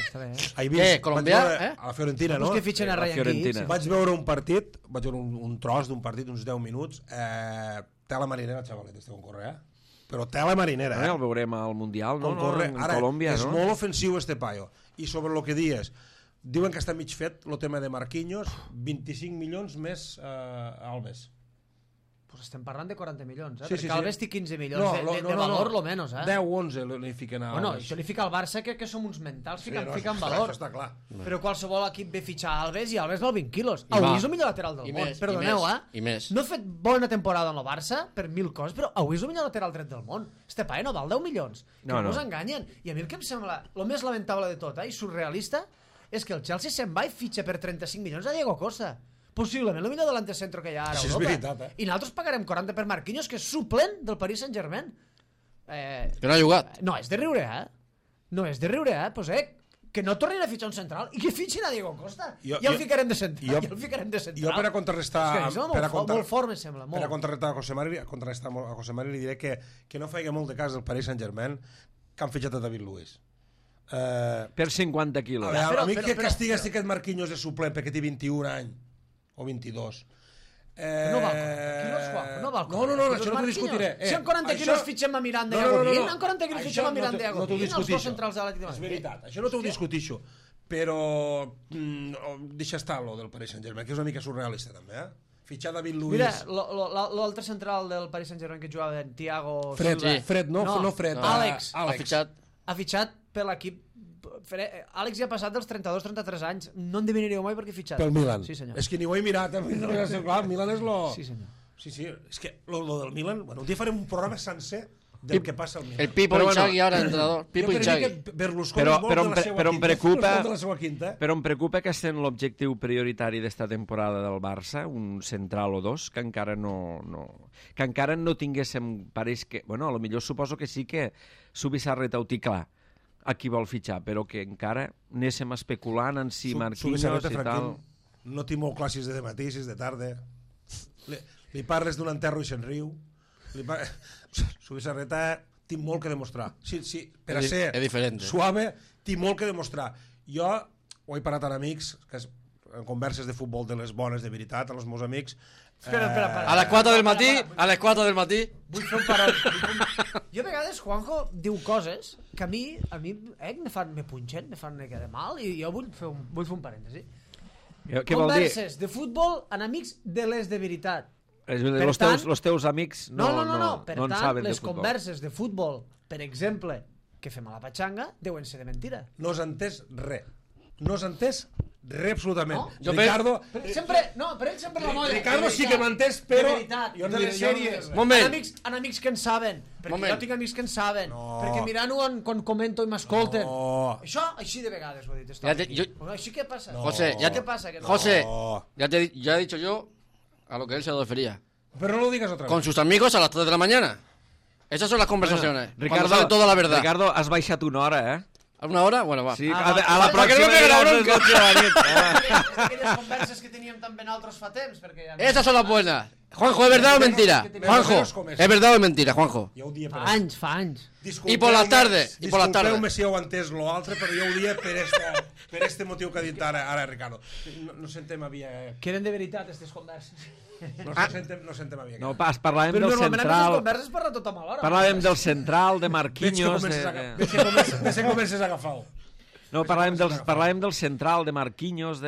colombià? A la Fiorentina, no? Que fitxen a Ryan Giggs. Vaig veure un partit, vaig veure un tros d'un partit, uns 10 minuts, tela marinera, xavalet, esteu en correr, però tela marinera. El veurem al Mundial, no? En Colòmbia, és molt ofensiu este paio. I sobre el que dius, diuen que està mig fet el tema de Marquinhos, 25 milions més Alves. Pues estem parlant de 40 milions, perquè Alves té 15 milions de valor, lo menos, 10 o 11 li fiquen a Alves. Bueno, això li fica al Barça que som uns mentals, fiquen valor. Això està clar. Però qualsevol equip ve fitxar Alves i Alves val 20 quilos. Avui és el millor lateral del món, perdoneu, no ha fet bona temporada en el Barça per 1000 coses, però avui és el millor lateral dret del món. Este paio no val 10 milions, que no us enganyen. I a mi el que em sembla el més lamentable de tot, i surrealista, és que el Chelsea se'n va i fitxa per 35 milions a Diego Costa. Possiblement el millor delantecentro que hi ha ara a Europa. És veritat, I nosaltres pagarem 40 per Marquinhos, que és suplent del Paris Saint-Germain. Que no ha jugat. No és de riure, No és de riure, Pues, que no tornin a fitxar un central i que fitxin a Diego Costa. I el ficarem de central. Jo per a contrarrestar... Molt fort, me sembla. Per a contrarrestar a José Mari li diré que no faig molt de cas del Paris Saint-Germain que han fitxat a David Luiz. Per 50 quilos. A mi que castiga si aquest Marquinhos és suplent perquè té 21 anys o 22. No val 40 quilos, Juan. No, això no t'ho discutiré. Si amb 40 quilos fitxem a Miranda i a Godín, amb 40 quilos fitxem a Miranda i a Godín, els dos centrals de l'Atlètic de Madrid. És veritat, això no t'ho discutixo. Però deixa estar lo del Paris Saint-Germain, que és una mica surrealista també, Fitxar David Luiz. Mira, l'altre central del Paris Saint-Germain que jugava en Thiago Fred, no Fred. Àlex. Ha fitxat per l'equip. Àlex ja ha passat dels 32-33 anys. No en deviniríeu mai perquè fitxat. Pel Milan. Sí, senyor. És que ni ho he mirat. Milan és lo... Sí, senyor. Sí, és que lo del Milan... Bueno, un dia farem un programa sencer del que passa al Milan. El Pipo Inzaghi ara, entrenador. Pipo Inzaghi. Però em preocupa que estem l'objectiu prioritari d'esta temporada del Barça, un central o dos, que encara no tinguéssim... Pareix que... Bueno, a lo millor suposo que sí que Subisarreta ho té clar a qui vol fitxar, però que encara anéssim especulant en si Marquinhos i tal... No tinc molt clar si és de matí, si és de tarda. Li parles d'un enterro i se'n riu. Subisarreta tinc molt que demostrar. Per a ser suave, tinc molt que demostrar. Jo ho he parat amb amics, que converses de futbol de les bones de veritat, a els meus amics. Espera. A les 4 del matí, a les 4 del matí. Vull fer un parol. Jo a vegades, Juanjo diu coses que a mi me punxen, me fan una mica de mal, i jo vull fer un parèntesi. Què vol dir? Converses de futbol en amics de les de veritat. Els teus amics no Per en tant, saben de les futbol. converses de futbol, per exemple, que fem a la patxanga, deuen ser de mentira. No has entès res. No has entès res absolutament. Jo Ricardo... Per ell sempre la molla. Ricardo sí que m'ha entès, però... De veritat, jo no de les diré- jo no sèries. diré Moment. En amics que en saben. Perquè Moment. jo tinc amics que en saben. No. Perquè mirant-ho quan comento i m'escolten. No. Això, així de vegades ho he dit. Ja te- Aquí. jo- Així què passa? José, ya ¿Qué pasa? Que no? José, No. ya he dicho yo a lo que él se refería. Pero no lo digas otra vez. Con sus amigos a las 3 de la mañana. Esas son las conversaciones. Ricardo, Cuando sabe toda la verdad. Ricardo, has baixat una hora, eh? ¿A una hora? Bueno, va. Sí, Ah, a la va. Para que pròxima no me pegue la diràs les bronca. 12 de la nit. És d'aquelles converses que teníem també nosaltres fa temps. Perquè ja... Esas son las buenas. Juanjo, ¿es verdad o mentira? Juanjo, ¿es verdad o mentira, Juanjo? Jo ho dia per Fa anys. I per la tarde, i per la tarde. Disculpeu-me si heu entès l'altre, però jo ho dia per este motiu que ha dit ara Ricardo. No sentem havia... Que eren de veritat, aquestes converses. No sentem havia... No, pas, parlàvem Però del normalment aquestes central. converses parla tota mala hora. Parlàvem del central, de Veig que Marquinhos... comences a comences a agafar-ho. No, parlàvem del central, de Marquinhos,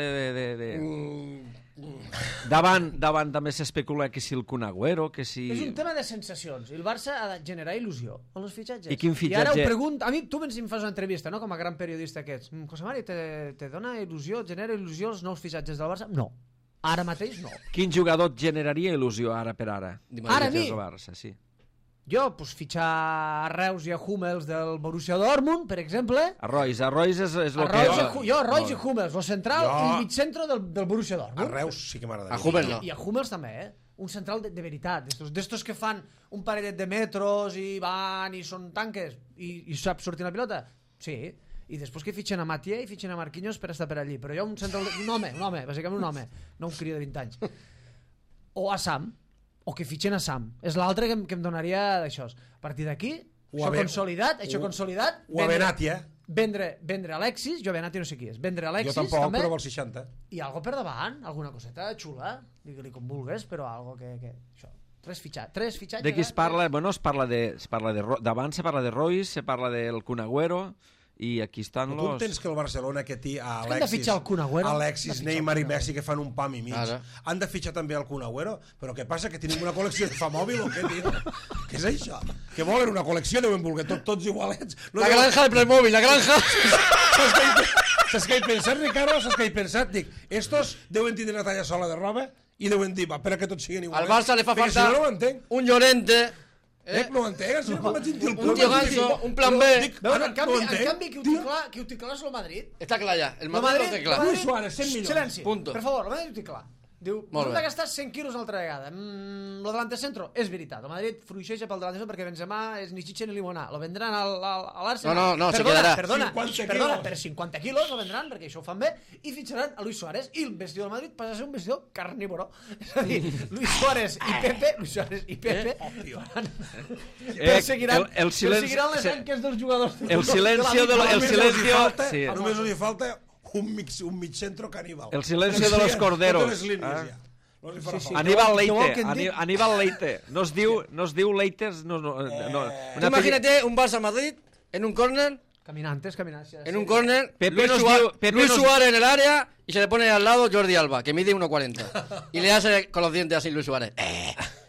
Davant també s'especula que si el Kun Agüero, que si... És un tema de sensacions. I el Barça ha de generar il·lusió amb els fitxatges. I quin I ara ho fitxatge? pregunto... A mi, tu em fas una entrevista, no?, com a gran periodista que ets. José Mari, te dona il·lusió, et genera il·lusió els nous fitxatges del Barça? No. Ara mateix no. Quin jugador et generaria il·lusió ara per ara? Ara a mi? El Barça, sí. Jo, pues, fitxar a Reus i a Hummels del Borussia Dortmund, per exemple. A Royce és el A que... Royce i Hummels, el central Jo- i mig centre del Borussia A Dortmund. Reus sí que m'agradaria. A Hummels no. I a Hummels també, un central de veritat, d'estos que fan un parellet de metros i van i són tanques i sap sortir la pilota, sí, i després que fitxen a Matia i fitxen a Marquinhos per estar per allí, però jo un central, un home, bàsicament un home, no un crio de 20 anys, o a Sam, o que fitxen a Sam, és l'altre que em donaria d'això. A partir d'aquí, O a això consolidat, O a Benatia. vendre Alexis, jo Benatia no sé qui és, vendre Alexis Jo tampoc, també, però vol 60. i algo per davant, alguna coseta xula, digue-li com vulgues, però algo que això, tres fitxatges. De qui es parla? Bueno, es parla de d'abans se parla de Royce, se parla del Kun Agüero, i aquí estan Tu los... entens que el Barcelona que té a que han de fitxar el Kun Agüero? Alexis, Han de fitxar el Neymar i Kun Agüero. Messi que fan un pam i mig. Ara. Han de fitxar també el Kun Agüero? Però què passa, que tenim una col·lecció de fa mòbil o què, tio? Què és això? Que volen una col·lecció, deuen voler tots igualets. No La granja de Playmobil, la granja. Saps què he pensat, Ricardo? Saps què he pensat? Dic, estos deuen tindre una talla sola de roba i deuen dir, va, per a que tots siguin igualets. Al Barça le fa Perquè falta si no ho entenc. un Llorente, No ho entenc, si no com vaig dir el un tío ganso, un plan B. Veus, Ara, en canvi, no ho entenc. qui ho té clar és el Madrid. Está clara ya. El El Madrid no té clar. Luis Suárez, 100 milions. Silenci, Punto. per favor, el Madrid ho té clar. Diu, Molt hem bé. de gastar 100 quilos una altra vegada. Lo delante centro és veritat. El Madrid fruixeja pel delante centro perquè Benzema és ni xitxa ni limonar. Lo vendran a l'Arsenal. No, se quedarà. Perdona, 50 perdona, quilos. per 50 quilos lo vendran perquè això ho fan bé i fitxaran a Luis Suárez i el vestidor del Madrid passa a ser un vestidor carnívoro. És a dir, Luis Suárez i Pepe perseguiran el silenci- les anques dels jugadors. El silencio de el silencio... Sí. Només li falta un mig centro caníbal. El silencio de los corderos. Totes les línies, Ah. ja. No li farà Sí, sí. falta. Aníbal Què vol Leite, que en dic? Aníbal Leite. No es diu Leites, no. Tú imagínate un Barça-Madrid en un córner, Caminantes. en un córner, Pepe nos diu- Pepe Luis nos- Suárez en el área y se le pone al lado Jordi Alba, que mide 1,40. Y le hace con los dientes así Luis Suárez.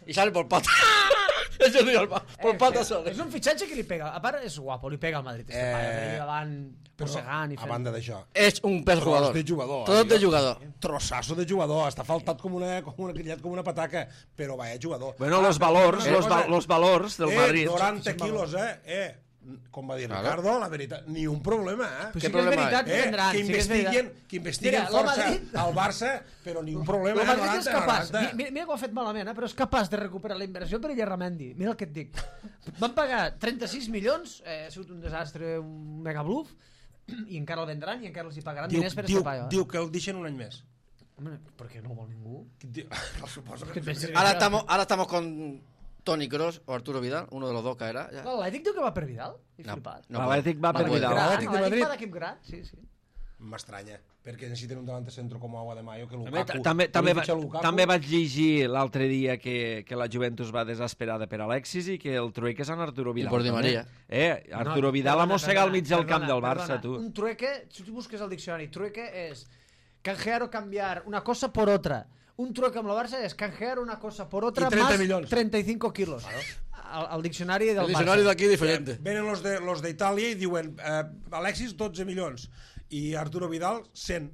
Y sale por pata. Es Jordi Alba, por pata sale. És un fitxatge que li pega. A part, és guapo, li pega al Madrid. Este pare, per allà davant, mossegant i A fent... banda d'això, Es un pez jugador. de jugador. Todo de tio. jugador. Trossasso de jugador, està faltat com una pataca, però vaya jugador. Bueno, los valors del Madrid. 90 quilos, com va dir Ricardo, la veritat, ni un problema, Però Què sí que és problema veritat que vendran. que sí que és veritat. investiguen Mira, força Madrid- al Barça, però ni un problema. El Madrid és 90, capaç, 90. mira que ho ha fet malament, però és capaç de recuperar la inversió per Illarramendi. Mira el que et dic. Van pagar 36 milions, ha sigut un desastre, un megabluff, i encara el vendran i encara els hi pagaran diners per escapar. Diu que el deixen un any més. Home, per què no ho vol ningú? Suposo Que que... et penses que Ahora estamos con Toni Kroos o Arturo Vidal, uno de los dos caerá. Ya. L'Atlètic diu que va per Vidal? He No, flipat. no L'Atlètic va per puede. Vidal. L'Atlètic de Madrid. va d'equip gran, sí. m'estranya, perquè necessiten un davant centre com Agua de Mayo, que Lukaku... Lukaku. També vaig llegir l'altre dia que la Juventus va desesperada per Alexis i que el trueque és en Arturo Vidal. I por Di Maria. Arturo Vidal ha mossegat al mig del camp del Barça, tu. Un trueque, si tu busques el diccionari, trueque és canjear o cambiar una cosa por otra. Un trueque amb el Barça és canjear una cosa por otra más 35 kilos. Al diccionari del Barça. El diccionari d'aquí diferente. Venen los d'Itàlia i diuen Alexis 12 milions i Arturo Vidal 100.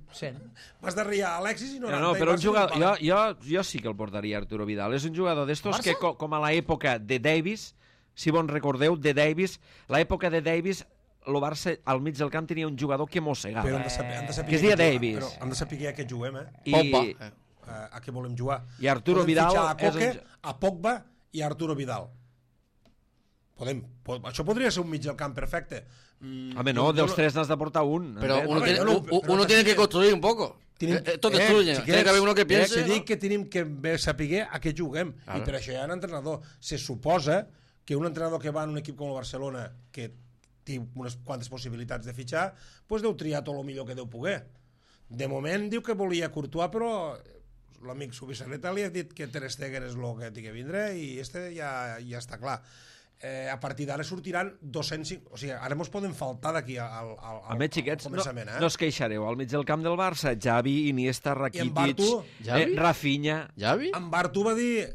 Vas darrere a Alexis i 90. No, però un jugador, jo sí que el portaria Arturo Vidal. És un jugador d'estos que, com a l'època de Davis, si bon recordeu, de Davis, l'època de Davis, el Barça al mig del camp tenia un jugador que mossegava. Però han de saber que es deia Davis. Però han de saber a què juguem, a què volem jugar. I Arturo Vidal a Pogba i a Arturo Vidal. Això podria ser un mig del camp perfecte. Home, no, dels tres n'has de portar un. Pero uno tiene que construir un poco. Esto destruye. Tiene que haver uno que piense. Se dic que tenim que saber a què juguem. I per això hi ha un entrenador. Se suposa que un entrenador que va en un equip com el Barcelona, que té unes quantes possibilitats de fitxar, doncs deu triar tot el millor que deu poder. De moment diu que volia Courtois, però l'amic Subisarreta li ha dit que Ter Stegen és el que té que vindre i ja està clar. A partir d'ara sortiran 205... O sigui, ara mos poden faltar d'aquí al començament. No us queixareu. Al mig del camp del Barça, Xavi, Iniesta, Rakitic, Rafinha... Xavi? En Bartu va dir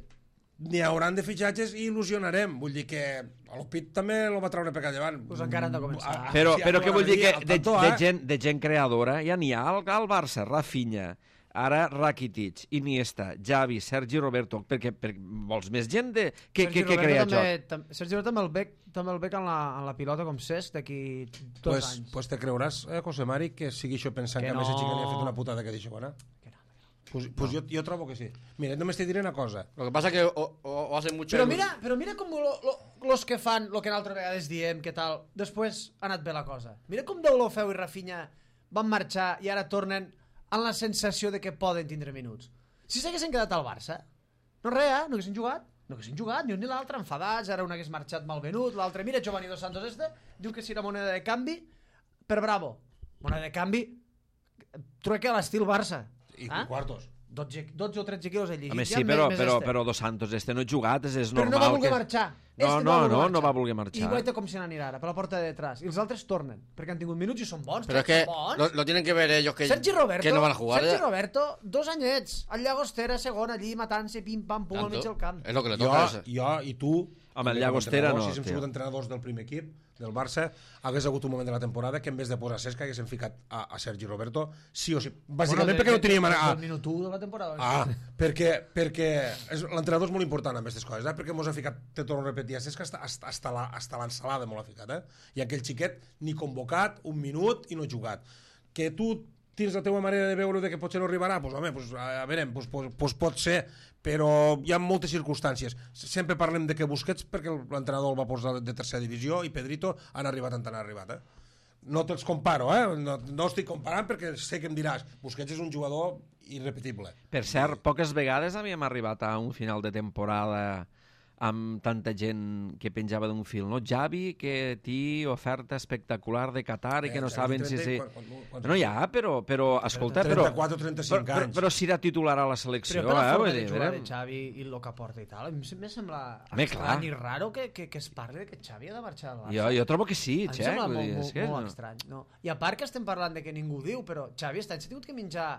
n'hi hauran de fitxatges i il·lusionarem. Vull dir que l'Opit també el va treure per allà davant. Pues encara han de començar. Però què vull dir? Que de gent creadora ja n'hi ha al Barça. Rafinha, ara Rakitic, Iniesta, Xavi, Sergi Roberto, perquè vols més gent que crea joc. Sergi Roberto també el bec en la pilota com Cesc d'aquí 2 anys. Pues te creuràs, José Mari, que sigui això pensant que a més el xica li ha fet una putada que d'això, no? Pues jo trobo que sí. Mira, només te diré una cosa. Lo que pasa que o hacen mucho... Però mira com los que fan lo que altres vegades diem, que tal, després ha anat bé la cosa. Mira com Deulofeu i Rafinha van marxar i ara tornen amb la sensació de que poden tindre minuts. Si s'haguessin quedat al Barça, no haguessin jugat, ni un ni l'altre, enfadats, ara un hagués marxat malvenut, l'altre, mira, Giovanni Dos Santos diu que si era moneda de canvi, per Bravo, moneda de canvi, trueque a l'estil Barça. I quartos. 12 o 13 quilos he llegit. Home, sí, però Dos Santos no ha jugat, és normal. Però no va voler marxar. No va voler marxar. I guaita com se n'anirà ara, per la porta de detrás. I els altres tornen, perquè han tingut minuts i són bons. Però és que lo tienen que ver ellos que no van a jugar. Sergi Roberto, 2 anyets, al Llagostera, segon, allí matant-se, pim-pam-pum al mig del camp. És lo que le toca. Jo i tu... Home, el Llagostera no. Si hem sigut entrenadors del primer equip, del Barça, hagués hagut un moment de la temporada que en vez de posar Cesc haguéssim ficat a Sergi Roberto, sí o sí. Bàsicament perquè no teníem... El minut 1 de la temporada. Perquè l'entrenador és molt important amb aquestes coses, perquè mos ha ficat, te torno a repetir, a Cesc hasta l'ensalada m'ho ha ficat, i aquell xiquet ni convocat, un minut i no jugat. Que tu tens la teva manera de veure de que potser no arribarà, doncs home, a veure, pot ser, però hi ha moltes circumstàncies. Sempre parlem de que Busquets, perquè l'entrenador el va posar de tercera divisió, i Pedrito han arribat on han arribat. No te'ls comparo, no estic comparant perquè sé que em diràs, Busquets és un jugador irrepetible. Per cert, poques vegades havíem arribat a un final de temporada amb tanta gent que penjava d'un fil, no? Xavi, que té oferta espectacular de Qatar i que no saben si... No hi ha, però escolta... 34 o 35 anys. Però si era titular a la selecció... Però per la forma de jugar de Xavi i el que porta i tal, a mi em sembla estrany i raro que es parli de que Xavi ha de marxar al Barça. Jo trobo que sí, Xavi. Em sembla molt estrany. I a part que estem parlant de que ningú diu, però Xavi s'ha tingut que menjar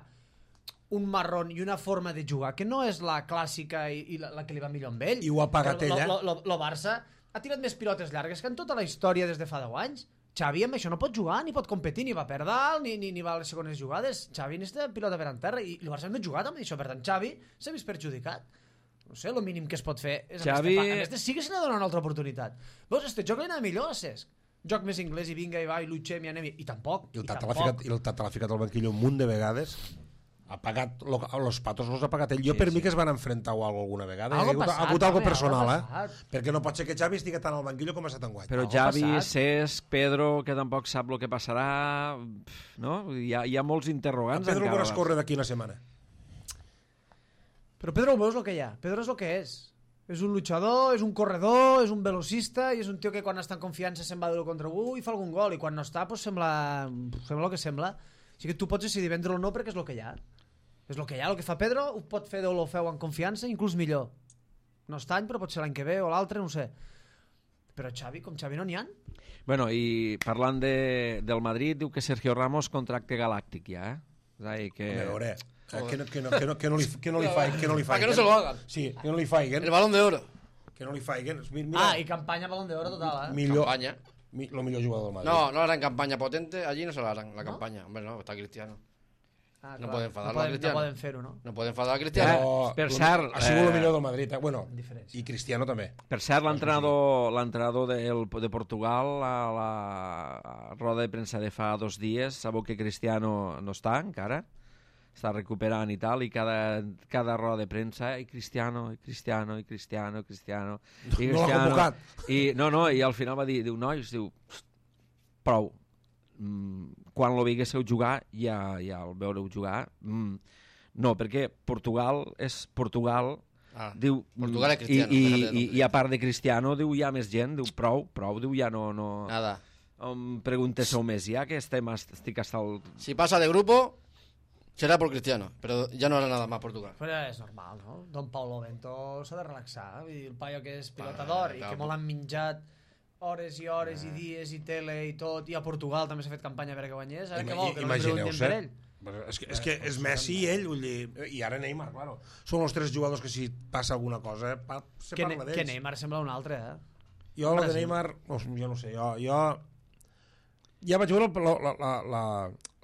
un marrón i una forma de jugar que no és la clàssica i la que li va millor amb ell. I ho ha pagat ella. El Barça ha tirat més pilotes llargues que en tota la història des de fa 10 anys. Xavi amb això no pot jugar, ni pot competir, ni va per dalt, ni va a les segones jugades. Xavi necessita pilota per en terra i el Barça no ha jugat amb això. Per tant, Xavi s'ha vist perjudicat. No sé, el mínim que es pot fer és Xavi... a més de sí que se n'ha donat una altra oportunitat. Veus, este joc li anava millor a Cesc. Joc més anglès i vinga i va i luixem i anem i tampoc. I el Tata l'ha ficat al banquillo un munt de vegades. Ha pagat, los patos los ha pagat ell. Jo per mi que es van enfrentar o alguna vegada. Ha hagut algo personal, perquè no pot ser que Xavi estigui tant al banquillo com ha estat enguany. Però Xavi, Cesc, Pedro, que tampoc sap el que passarà, no? Hi ha molts interrogants. Pedro el veuràs córrer d'aquí una setmana. Però Pedro el veus el que hi ha. Pedro és el que és. És un luchador, és un corredor, és un velocista i és un tio que quan està en confiança se'n va dur contra algú i fa algun gol i quan no està pues sembla el que sembla. O sigui que tu pots decidir vendre-lo o no perquè és el que hi ha. És el que hi ha, el que fa Pedro ho pot fer d'Olofeu en confiança, inclús millor. No està any, però pot ser l'any que ve o l'altre, no ho sé. Però Xavi, com Xavi no n'hi ha. Bueno, i parlant del Madrid, diu que Sergio Ramos contracte galàctic ja, És a dir, que... A veure, que no li faiguen. Para que no se lo hagan. Sí, que no li faiguen. El Balón de Oro. Que no li faiguen. Mira, I campanya Balón d'Oro total, millor, Campaña. lo millor jugador del Madrid. No harán campaña potente, allí no se la harán la campaña. Hombre, no, está Cristiano. No pueden enfadarlo a Cristiano. No poden fer-ho, no? No pueden enfadar a Cristiano. Però Per cert, ha sigut el millor del Madrid. Bueno, Diferència. i Cristiano també. Per cert, l'entrenador de Portugal a la roda de premsa de fa 2 dies, sabeu que Cristiano no està encara, està recuperant i tal, i cada roda de premsa i Cristiano. No l'ha convocat. I al final va dir, nois, prou, quan lo veiéssiu jugar ja el veureu jugar. No, perquè Portugal és Portugal. Diu, Portugal és Cristiano. I a part de Cristiano, diu, hi ha més gent, diu, prou, diu, ja no... Nada. Pregunteu més ja, que estic hasta el... Si pasa de grupo, será por Cristiano, pero ya no hará nada más Portugal. Però és normal, no? Don Paulo Bento s'ha de relaxar. Vull dir, el paio que és pilotador i que molt han menjat hores i hores i dies i tele i tot, i a Portugal també s'ha fet campanya perquè guanyés. A veure què vol, que no li preguntem per ell. És que és Messi i ell, vull dir, i ara Neymar, claro. Són els 3 jugadors que si passa alguna cosa se parla d'ells. Que Neymar sembla un altre, Jo el de Neymar, jo no sé, jo ja vaig veure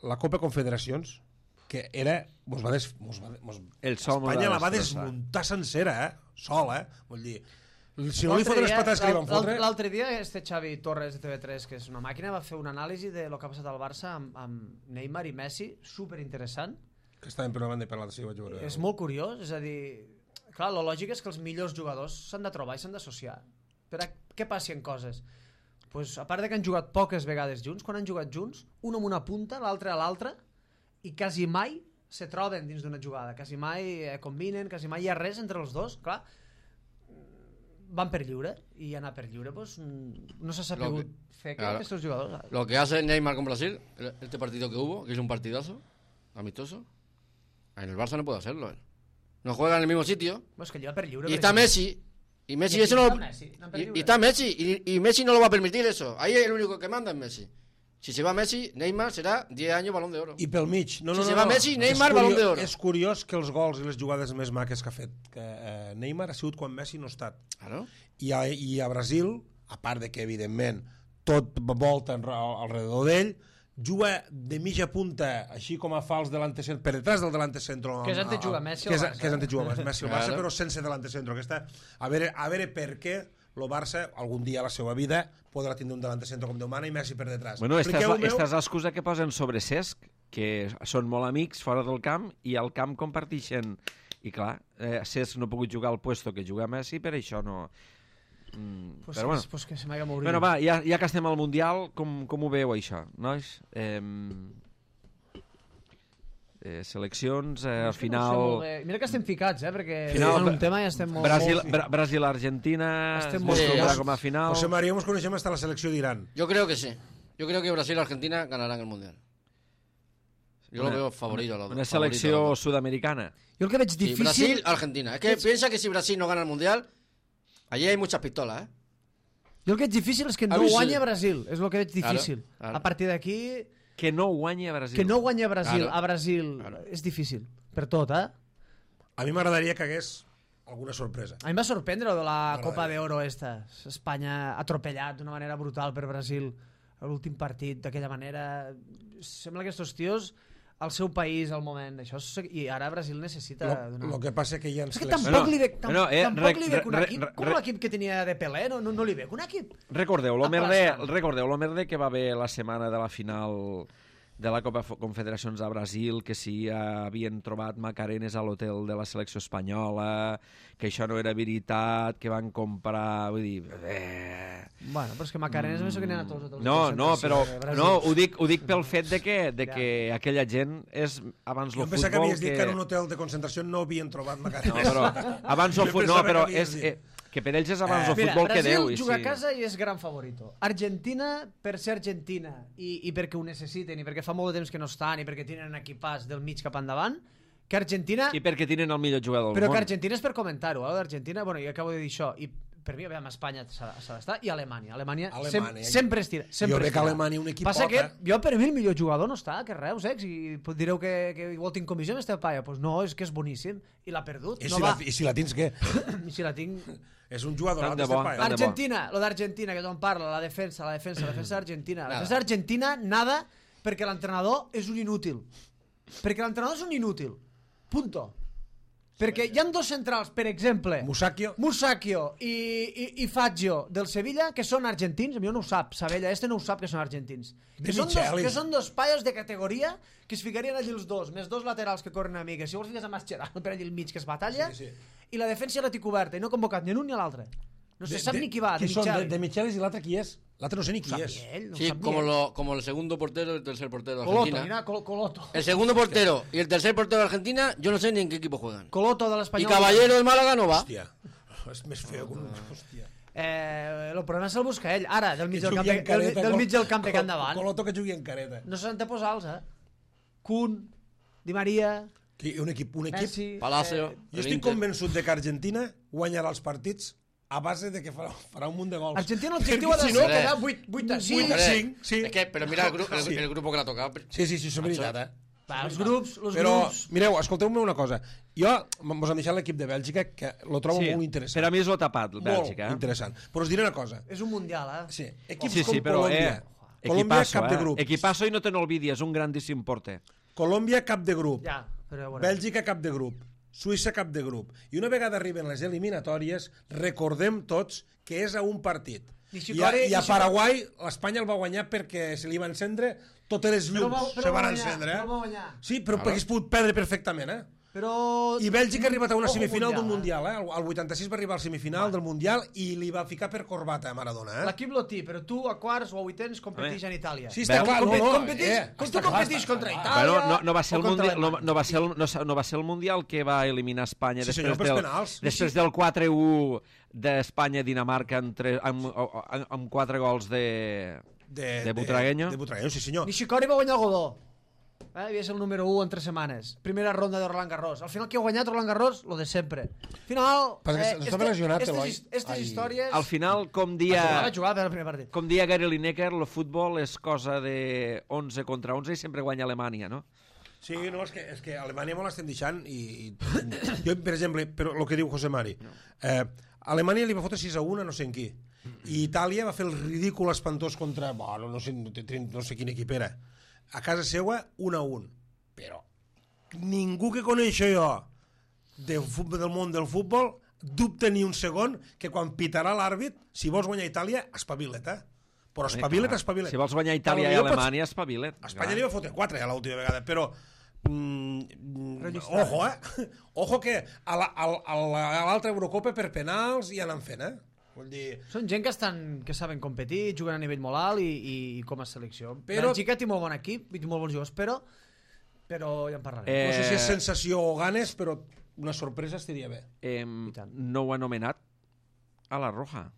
la Copa Confederacions, que era... Espanya la va desmuntar sencera, sol, Vull dir, si no li foten les pates que li van fotre... L'altre dia Xavi Torres de TV3, que és una màquina, va fer una anàlisi de lo que ha passat al Barça amb Neymar i Messi, superinteressant. Que estaven per una banda i per l'altra, sí, vaig veure. És molt curiós, és a dir... Clar, lo lògic és que els millors jugadors s'han de trobar i s'han d'associar. Per a què passin coses? Pues, a part de que han jugat poques vegades junts, quan han jugat junts, un amb una punta, l'altre a l'altra, i quasi mai se troben dins d'una jugada, quasi mai combinen, quasi mai hi ha res entre els dos, clar. Van per lliure, i anar per lliure pues, no s'ha sapigut fer que aquests jugadors... Lo que hace Neymar con Brasil, este partido que hubo, que es un partidazo, amistoso, en el Barça no puede hacerlo. No juega en el mismo sitio, pues que lleva per lliure, y está Messi, y Messi eso no... Y está Messi, y Messi no lo va a permitir eso. Ahí el único que manda es Messi. Si se va Messi, Neymar serà 10 anys Balón de Oro. I pel mig. Si se va Messi, Neymar, Balón de Oro. És curiós que els gols i les jugades més maques que ha fet Neymar ha sigut quan Messi no ha estat. Claro. I a Brasil, a part de que, evidentment, tot volta alrededor d'ell, juga de mitja punta, així com a fals delantecentro, per detrás del delantecentro. Que és on te juga Messi al Barça. Que és on te juga Messi al Barça, però sense delantecentro. A veure per què el Barça, algun dia a la seva vida, podrà tindre un delantecentro com Déu mana i Messi per detrás. Bueno, esta és l'excusa que posen sobre Cesc, que són molt amics fora del camp i al camp comparteixen. I clar, Cesc no ha pogut jugar al puesto que juga Messi, per això no... Però bueno. Pues que se m'haga morit. Bueno, va, ja que estem al Mundial, com ho veieu això, nois? Seleccions, al final... Mira que estem ficats, perquè final, en un tema ja estem molt... Brasil-Argentina estem molt molt com a final. José María, nos coneixem hasta la selecció d'Irán. Yo creo que sí. Yo creo que Brasil y Argentina ganarán el Mundial. Yo lo veo favorito. Una selecció sudamericana. Yo el que veig difícil... Brasil, Argentina. Es que piensa que si Brasil no gana el Mundial, allí hay muchas pistolas, Jo el que veig difícil és que no guanya Brasil. És el que veig difícil. Claro. A partir d'aquí... Que no guanya Brasil. Que no guanya Brasil. Claro. A Brasil és difícil. Per tot, A mi m'agradaria que hagués alguna sorpresa. A mi em va sorprendre de la Copa d'Oro esta. Espanya atropellat d'una manera brutal per Brasil a l'últim partit, d'aquella manera. Sembla que estos tios al seu país al moment. I ara Brasil necessita... Lo que passa que hi ha... És que tampoc li veig un equip com l'equip que tenia de Pelé, no li veig un equip. Recordeu lo merder que va haver la setmana de la final de la Copa Confederacions a Brasil, que si havien trobat macarenes a l'hotel de la selecció espanyola, que això no era veritat, que van comprar... Vull dir... Bueno, però és que macarenes no sé que n'hi ha a tots els hotels. No, però ho dic pel fet de que aquella gent és abans el futbol... Jo pensava que havies dit que en un hotel de concentració no havien trobat macarenes. No, però abans el futbol... No, però és... Que per ells és abans el Mira, futbol que Déu. Brasil juga a casa i és gran favorito. Argentina, per ser Argentina, i perquè ho necessiten, i perquè fa molt de temps que no estan, i perquè tenen equipats del mig cap endavant, que Argentina... I perquè tenen el millor jugador del Però món. que Argentina és per comentar-ho, d'Argentina, bueno, jo acabo de dir això, i per mi, a Espanya s'ha d'estar, i Alemanya. Alemanya sempre estira. Jo veig que Alemanya un equip Passa que jo, per mi, el millor jugador no està, que Reus, i direu que igual tinc comissió amb este paia. Doncs no, és que és boníssim, i l'ha perdut. I si la tens, què? I si la tinc... És un jugador Tant de bo. Argentina, lo d'Argentina, que tothom parla, la defensa d'Argentina. La defensa d'Argentina, nada, perquè l'entrenador és un inútil. Perquè l'entrenador és un inútil. Punto. Perquè hi ha dos centrals, per exemple, Musacchio i Fazio del Sevilla, que són argentins. A mi no ho sap, Sabella, no ho sap que són argentins. Que són dos paios de categoria que es ficarien allí els dos, més dos laterals que corren a mi, que si vols fiques a Mascherano per allí al mig, que es batalla, i la defensa la té coberta, i no ha convocat ni un ni l'altre. No se sap ni qui va, de Michelis. De Michelis, i l'altre qui és? L'altre no sé ni qui és. Sí, como el segundo portero y el tercer portero de Argentina. Mira, Coloto. El segundo portero y el tercer portero de Argentina, yo no sé ni en qué equipo juegan. Coloto de l'Espanyol. Y Caballero del Málaga no va. Hòstia, és més feo que un... Hòstia. El problema se'l busca ell. Ara, del mig del camp que endavant. Coloto que jugui en careta. No s'han de posar els, Kun, Di Maria... Un equip. Messi, Palacio. Jo estic convençut de que Argentina guanyarà els partits a base de que farà un munt de gols. Argentina l'objectiu ha de ser quedar 8-5. Sí. Es que, pero mira el grupo que l'ha tocat. Sí, és veritat, Els grups... Però, mireu, escolteu-me una cosa. Jo mos han deixat l'equip de Bèlgica, que lo trobo molt interessant. Per a mi és lo tapat, Bèlgica. Molt interessant. Però us diré una cosa. És un mundial, Sí, equips com Colòmbia. Colòmbia, cap de grup. Equipasso i no te n'olvidis, és un grandíssim porter. Colòmbia, cap de grup. Ja, però bueno. Bèlgica, cap de grup. Suïssa, cap de grup. I una vegada arriben les eliminatòries, recordem tots que és a un partit. I a Paraguai, l'Espanya el va guanyar perquè se li va encendre totes les llums. Se van encendre, Sí, però hagués pogut perdre perfectament, I Bèlgica ha arribat a una semifinal d'un Mundial, El 86 va arribar a la semifinal del Mundial i li va ficar per corbata a Maradona, L'equip lo té, però tu a quarts o a vuitens competeix en Itàlia. Sí, està clar, Tu competeix contra Itàlia. No va ser el Mundial que va eliminar Espanya després del 4-1 d'Espanya-Dinamarca amb 4 gols de Butragueño. De Butragueño, sí senyor. Nishikori va guanyar el Godó. Havia ser el número 1 en 3 setmanes. Primera ronda de Roland Garros. Al final, qui ha guanyat Roland Garros? Lo de sempre. Al final... Estava lesionat, Eloi. Estes històries... Al final, com dia Gary Lineker, el futbol és cosa de 11 contra 11 i sempre guanya Alemanya, no? Sí, no, és que Alemanya molt l'estem deixant i jo, per exemple, però el que diu José Mari, Alemanya li va fotre 6-1 a no sé en qui, i Itàlia va fer el ridícul espantós contra, no sé quin equip era, a casa seua 1-1, però ningú que coneixo jo del món del futbol dubta ni un segon que quan pitarà l'àrbit, si vols guanyar Itàlia, espavila't, però espavila't. Si vols guanyar Itàlia i Alemanya, espavila't. Espanya li va fotre 4 l'última vegada, però ojo que a l'altra Eurocopa per penals hi anen fent, Vull dir... Són gent que saben competir, juguen a nivell molt alt i com a selecció. Bèlgica té molt bon equip, té molt bons jugadors, però ja en parlarem. No sé si és sensació o ganes, però una sorpresa estaria bé. No ho ha anomenat a la Roja.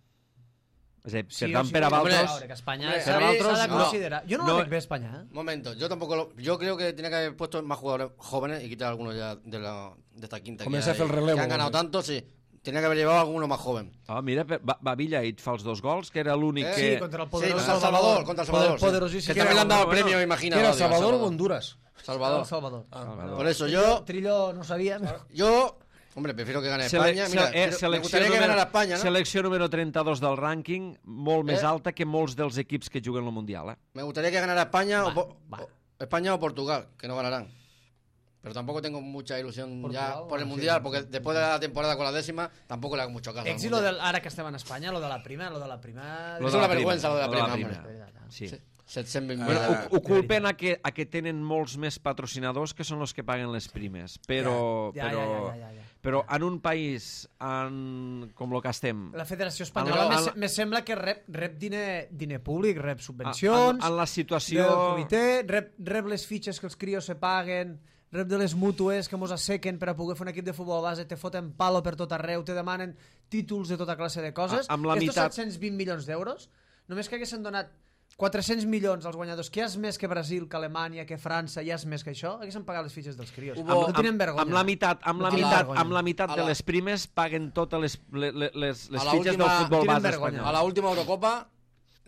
És a dir, Sí, per tant, per a Valtros... Espanya s'ha de considerar. Jo no la veig bé, Espanya. Momento, yo tampoco yo creo que tenía que haber puesto más jugadores jóvenes y quitar algunos ya de esta quinta Comienza a hacer el relevo. Que han ganado tanto, sí. Tenía que haber llevado a alguno más joven. Mira, Bavilla et fa els 2 gols, que era l'únic que... Sí, contra el poderós Salvador. Contra el Salvador. Poderosíssim. Que también le han dado el premio, imagina. ¿Qué era, Salvador o Honduras? Salvador. Por eso yo... Trillo no sabía. Yo... Hombre, prefiero que gane España. Mira, me gustaría que ganara España, ¿no? Selecció número 32 del rànquing, molt més alta que molts dels equips que juguen al Mundial. Me gustaría que ganara España España o Portugal, que no ganarán. Pero tampoco tengo mucha ilusión Portugal, ya por el Mundial, porque después de la temporada con la 10ª, tampoco le hago mucho caso. Ara que estem en Espanya, lo de la prima... Es una vergüenza lo de la prima. Sí. Ho culpen a que tenen molts més patrocinadors que són els que paguen les primes, però en un país com el que estem... La Federació Espanyola me sembla que rep diner públic, rep subvencions, en la situació... del comitè, rep les fitxes que els crios se paguen, rep de les mútues que mos assequen per a poder fer un equip de futbol base, te foten palo per tot arreu, te demanen títols de tota classe de coses. Amb la meitat... 720 milions d'euros, només que haguessin donat 400 milions als guanyadors, que ja és més que Brasil, que Alemanya, que França, ja és més que això, haguessin pagat les fitxes dels crios. No tenen vergonya. Amb la meitat de les primes paguen totes les fitxes del futbol base espanyol. A la última Eurocopa,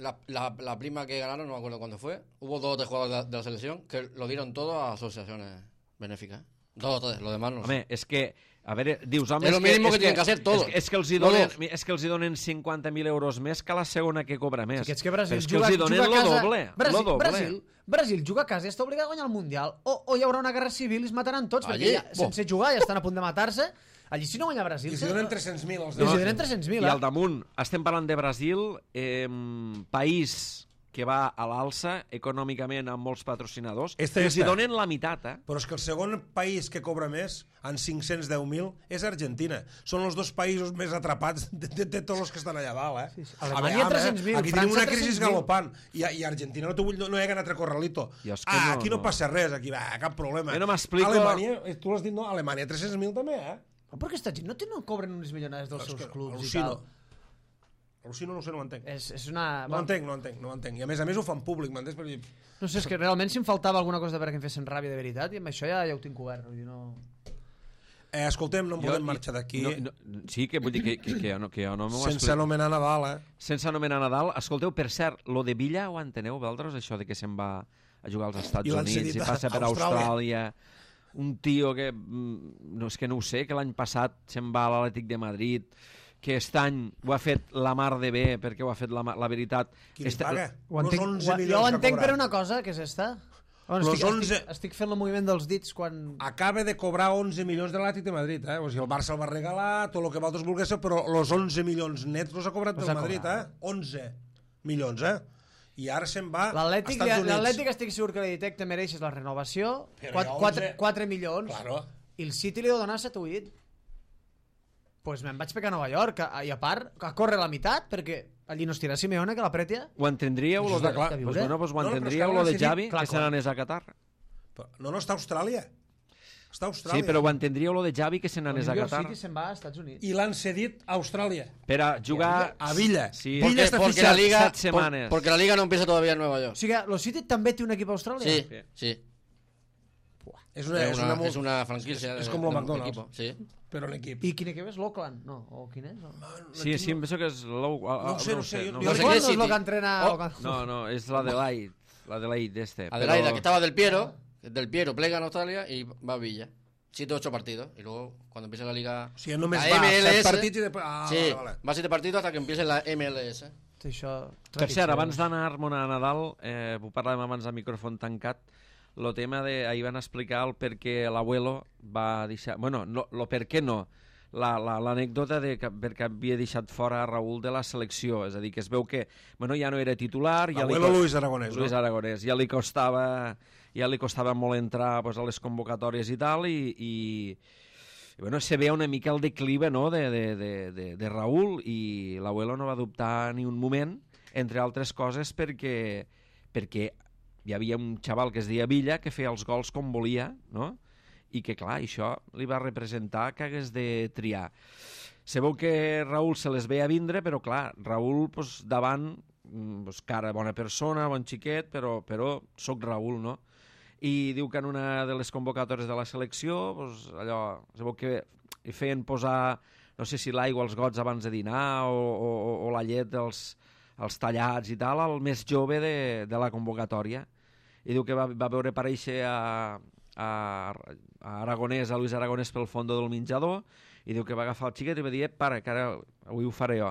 la prima que ganaron, no me acuerdo cuándo fue, hubo 2 o 3 jugadores de la selección que lo dieron todo a asociaciones benéficas. 2 o 3, lo demás no. Home, és que, a veure, dius, home... Es lo mínimo que tienen que hacer todos. És que els hi donen 50.000 euros més que la segona que cobra més. És que Brasil juga a casa. Brasil juga a casa i està obligat a guanyar el Mundial. O hi haurà una guerra civil i es mataran tots, perquè sense jugar ja estan a punt de matar-se. Allí si no guanya Brasil... I si donen 300.000 els demás. I si donen 300.000, I al damunt, estem parlant de Brasil, país que va a l'alça econòmicament amb molts patrocinadors, i els hi donen la meitat, Però és que el segon país que cobra més, en 510.000, és Argentina. Són els 2 països més atrapats de tots els que estan allà dalt, Sí. Alemanya 300.000, aquí tenim una crisi galopant, i Argentina no hi ha ganat a corralito. Aquí no passa res, aquí cap problema. Jo no m'explico... Alemanya, tu l'has dit, no? Alemanya 300.000 també, Per què aquesta gent no cobren unes milionades dels seus clubs i tal? Al·lucino, no ho sé, no ho entenc. És una... No ho entenc. I a més ho fan públic, m'entens? No sé, és que realment si em faltava alguna cosa perquè em fessin ràbia de veritat, i amb això ja ho tinc cobert. Escoltem, no em podem marxar d'aquí. Sí, que vull dir que jo no m'ho explico. Sense anomenar Nadal, Sense anomenar Nadal. Escolteu, per cert, lo de Villa ho enteneu, vosaltres, això de que se'n va a jugar als Estats Units i passa per Austràlia. Un tio que... No, és que no ho sé, que l'any passat se'n va a l'Atlètic de Madrid, que aquest any ho ha fet la mar de bé, perquè ho ha fet la veritat. Qui li paga? Jo ho entenc per una cosa, que és esta. Estic fent el moviment dels dits quan... Acaba de cobrar 11 milions de l'Atlètic de Madrid, O sigui, el Barça el va regalar, tot el que vosaltres volguéssiu, però els 11 milions nets no s'ha cobrat del Madrid, 11 milions, I ara se'n va als Estats Units. L'Atlètic estic segur que li detecta mereixes la renovació, 4 milions, i el City li deu donar 7 o 8. Pues me'n vaig pegar a Nova York, i a part, a córrer la meitat, perquè allí no estirà Simeone, que l'apretia. Ho entendríeu, lo de Xavi, que se n'anés a Qatar? No, està a Austràlia. Sí, però ho entendríeu, lo de Xavi, que se n'anés a Qatar? Sí, se'n va als Estats Units. I l'han cedit a Austràlia. Per a jugar... A Villa. Sí, Villa està fixat 7 setmanes. Porque la liga no empieza todavía en Nueva York. O sigui, el City també té un equip a Austràlia? Sí. És una franquicia. És com el McDonald's. Sí. Però en equip. I quin equip és? L'Auckland? No, o quin és? Sí, em penso que és no sé. No és el que entrena... No, és l'Adelaide. L'Adelaide Adelaide, que estaba del Piero plega en Australia y va a Villa. 7 o 8 partidos. Y luego, cuando empiece la liga... Si només va 7 partits i després... Sí, va 7 partidos hasta que empiece la MLS. Per cert, abans d'anar-me'n a Nadal, ho parlàvem abans a micròfon tancat, el tema de... Ahir van explicar el per què l'abuelo va deixar... Bueno, el per què no. L'anècdota de perquè havia deixat fora a Raúl de la selecció. És a dir, que es veu que ja no era titular... L'abuelo Luis Aragonès, no? Luis Aragonès. Ja li costava molt entrar a les convocatòries i tal, i se veia una mica el declive de Raúl, i l'abuelo no va dubtar ni un moment, entre altres coses perquè hi havia un xaval que es deia Villa que feia els gols com volia, no? I que, clar, això li va representar que hagués de triar. Se veu que Raúl se les veia vindre, però, clar, Raúl, davant, cara, bona persona, bon xiquet, però soc Raúl, no? I diu que en una de les convocatòries de la selecció, allò, se veu que hi feien posar, no sé si l'aigua als gots abans de dinar o la llet els tallats i tal, el més jove de la convocatòria. I diu que va veure aparèixer a Aragonès, a Luis Aragonès pel fondo del menjador, i diu que va agafar el xiquet i va dir, para, que ara avui ho faré jo.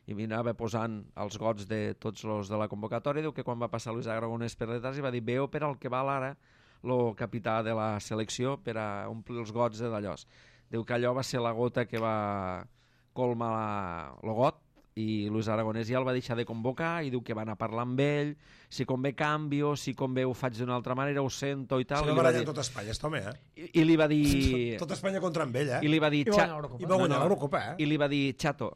I anava posant els gots de tots els de la convocatòria. Diu que quan va passar Luis Aragonès per detrás i va dir, veu per al que val ara el capità de la selecció per a omplir els gots de d'allòs. Diu que allò va ser la gota que va colmar el got, i Luis Aragonès ja el va deixar de convocar, i diu que va anar a parlar amb ell, si convé canvio, si convé ho faig d'una altra manera, ho sento i tal. Se va barallar tot Espanya, està home, I li va dir... Tot Espanya contra amb ell, I li va dir... I va guanyar l'Eurocopa, I li va dir, Chato,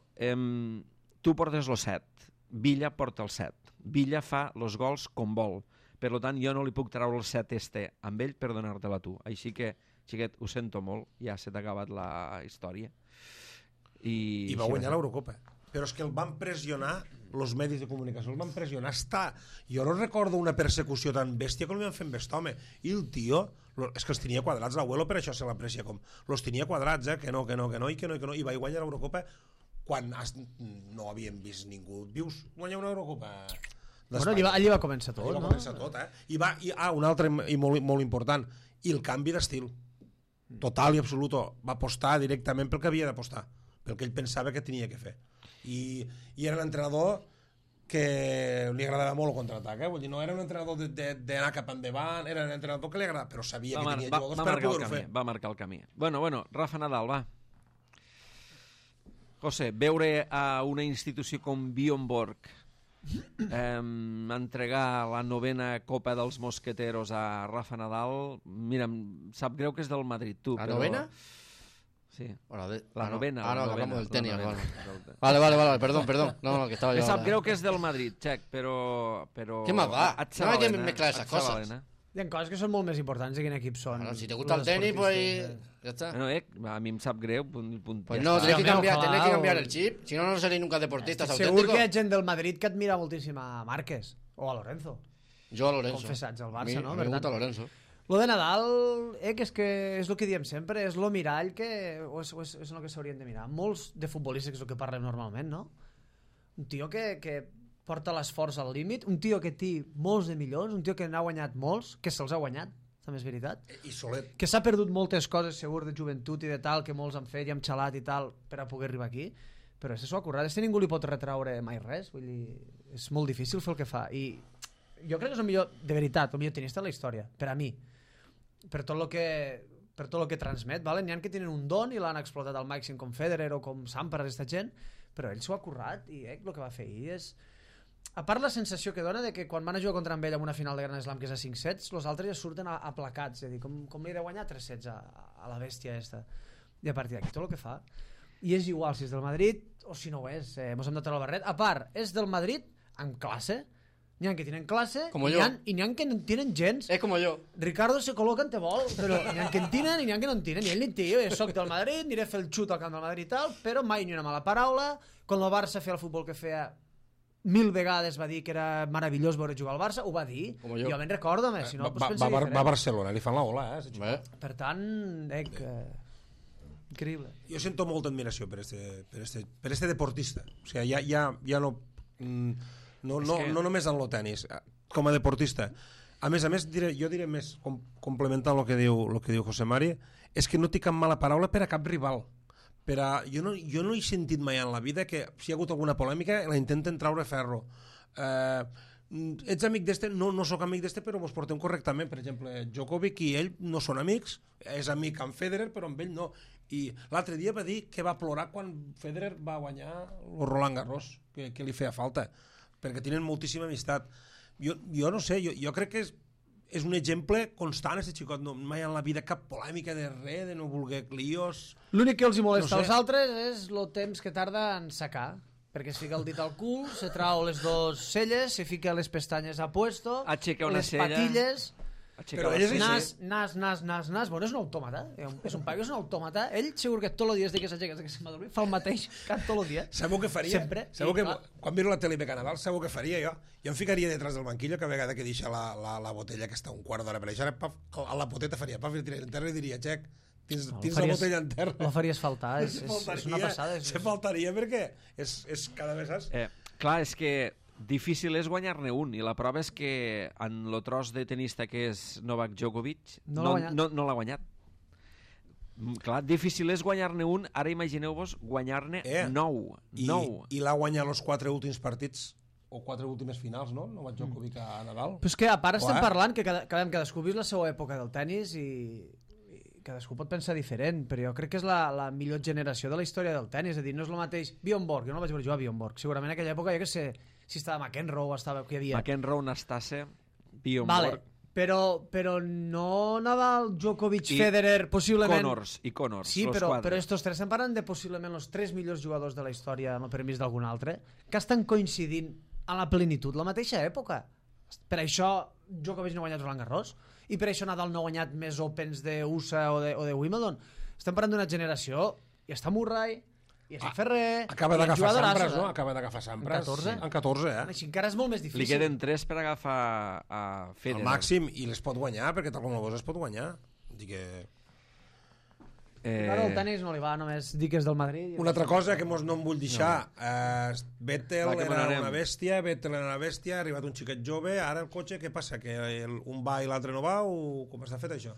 tu portes el 7, Villa porta el 7. Villa fa els gols com vol, Per tant, jo no li puc treure el 7 amb ell per donar-te-la tu. Així que, xiquet, ho sento molt, ja se t'ha acabat la història. I va guanyar l'Eurocopa. Però és que el van pressionar, els medis de comunicació el van pressionar. Jo no recordo una persecució tan bèstia com li van fer amb aquest home. I el tio, és que els tenia quadrats, l'abuelo per això se l'aprecia com, els tenia quadrats, que no, i va guanyar l'Eurocopa quan no havíem vist ningú. Vius guanyar una Eurocopa d'Espanya. Allí va començar tot, no? Allí va començar tot, un altre i molt important, i el canvi d'estil. Total i absolut. Va apostar directament pel que havia d'apostar, pel que ell pensava que tenia que fer. I era l'entrenador que li agradava molt el contraatac, Vull dir, no era un entrenador d'anar cap endavant, era un entrenador que li agradava, però sabia que tenia jugadors per poder-ho fer. Va marcar el camí. Bueno, Rafa Nadal, va. José, veure a una institució com Bjorn entregar la 9a Copa dels Mosqueteros a Rafa Nadal, mira, em sap greu que és del Madrid, tu. ¿La novena? Sí. La novena. La hablamos del tenis. Vale, perdón. No, que estaba yo. Me sap greu que és del Madrid, Check, però... ¿Qué más da? No hay que mezclar esas cosas. Hi ha coses que són molt més importants de quin equip són. Bueno, si te gusta el tenis, pues ya está. Bueno, a mi em sap greu. Pues no, tenés que cambiar el chip. Si no, no seréis nunca deportistas auténticos. Segur que hi ha gent del Madrid que admira moltíssim a Márquez o a Lorenzo. Jo a Lorenzo. Confessats al Barça, no? A mi me gusta Lorenzo. Lo de Nadal, que és el que diem sempre, és lo mirall o és el que s'haurien de mirar. Molts de futbolistes, que és el que parlem normalment, no? Un tio que porta l'esforç al límit, un tio que té molts de milions, un tio que n'ha guanyat molts, que se'ls ha guanyat, també és veritat. I solet. Que s'ha perdut moltes coses, segur, de joventut i de tal, que molts han fet i han xalat i tal, per a poder arribar aquí. Però s'ho ha currat. Ningú li pot retraure mai res. Vull dir, és molt difícil fer el que fa. I jo crec que és el millor, de veritat, el millor tenista de la història, per a mi. Per tot el que transmet, vale? N'hi ha que tenen un don i l'han explotat al màxim, com Federer o com Sampras, aquesta gent, però ell s'ho ha currat i el que va fer ahir és... A part la sensació que dona de que quan van a jugar contra ell en una final de Gran Slam que és a 5 sets, els altres ja surten aplacats, és a dir, com li he de guanyar 3 sets a la bèstia esta. I a partir d'aquí tot el que fa. I és igual si és del Madrid o si no ho és, mos hem de treure el barret. A part, és del Madrid amb classe. N'hi ha que tenen classe i n'hi ha que no en tenen gens. És com jo. Ricardo se col·loca en te vol, però n'hi ha que en tenen i n'hi ha que no en tenen. I ell ni té, jo soc del Madrid, aniré a fer el xut al camp del Madrid i tal, però mai ni una mala paraula. Quan el Barça feia el futbol que feia 1000 vegades va dir que era meravellós veure jugar al Barça, ho va dir. Jo me'n recordo, si no, va a Barcelona, li fan la ola, Per tant, increïble. Jo sento molta admiració per este deportista. O sigui, ja no només en el tenis, com a deportista. A més, jo diré més, complementant el que diu José Mari, és que no té cap mala paraula per a cap rival. Jo no he sentit mai en la vida que si hi ha hagut alguna polèmica la intenten traure ferro. Ets amic d'este? No sóc amic d'este, però vos portem correctament. Per exemple, Djokovic i ell no són amics, és amic amb Federer, però amb ell no. I l'altre dia va dir que va plorar quan Federer va guanyar el Roland Garros, que li feia falta, perquè tenen moltíssima amistat. Jo no sé, jo crec que és un exemple constant, aquest xicot. No, mai en la vida cap polèmica de res, de no voler líos. L'únic que els hi molesta als altres és el temps que tarda en secar, perquè es fica el dit al cul, se trau les dos celles, se fica les pestanyes a puesto, les patilles... Però ell és nas, bueno, és un autòmata, és un paio, és un autòmata. Ell segur que tots els dies que s'aixeca que se'n va dormir fa el mateix tot el dia. Sabeu què faria? Sempre. Sabeu que quan miro la tele de Carnaval, sabeu què faria jo? Jo em ficaria detrás del banquillo cada vegada que deixa la botella que està un quart d'hora per això, a la poteta faria paf, i en terra i diria, Xec, tens la botella en terra. La faries faltar, és una passada. Se faltaria perquè és cada vegada... Clar, és que difícil és guanyar-ne un, i la prova és que en el tros de tenista que és Novak Djokovic no l'ha guanyat. Clar, difícil és guanyar-ne un, ara imagineu-vos guanyar-ne 9. I l'ha guanyat els 4 últims partits o 4 últimes finals, no? Novak Djokovic a Nadal. Però és que a part estem parlant que cadascú vist la seva època del tennis i cadascú pot pensar diferent, però jo crec que és la millor generació de la història del tennis. És a dir, no és el mateix Bjorn Borg, jo no vaig veure jugar a Bjorn Borg, segurament en aquella època jo que sé si estava McEnroe o estava... Qui hi havia? McEnroe, Nastase, Bjorn Borg... Però no Nadal, Djokovic, Federer, possiblement... Connors, sí, però estos tres estem parlant de possiblement els 3 millors jugadors de la història, amb el permís d'algun altre, que estan coincidint a la plenitud la mateixa època. Per això Djokovic no ha guanyat Roland Garros i per això Nadal no ha guanyat més Opens d'USA o de Wimbledon. Estem parlant d'una generació i està Murray i està Ferrer. Acaba d'agafar Sampras, no? Acaba d'agafar Sampras. En 14? En 14, Així encara és molt més difícil. Li queden 3 per agafar a Federer. El màxim, i les pot guanyar, perquè tal com el veus es pot guanyar. Dic que... Ara el tenis no li va, només dir que és del Madrid. Una altra cosa que no em vull deixar. Vettel Va, era una bèstia, ha arribat un xiquet jove, ara el cotxe, què passa? Que un va i l'altre no va, o com està fet això?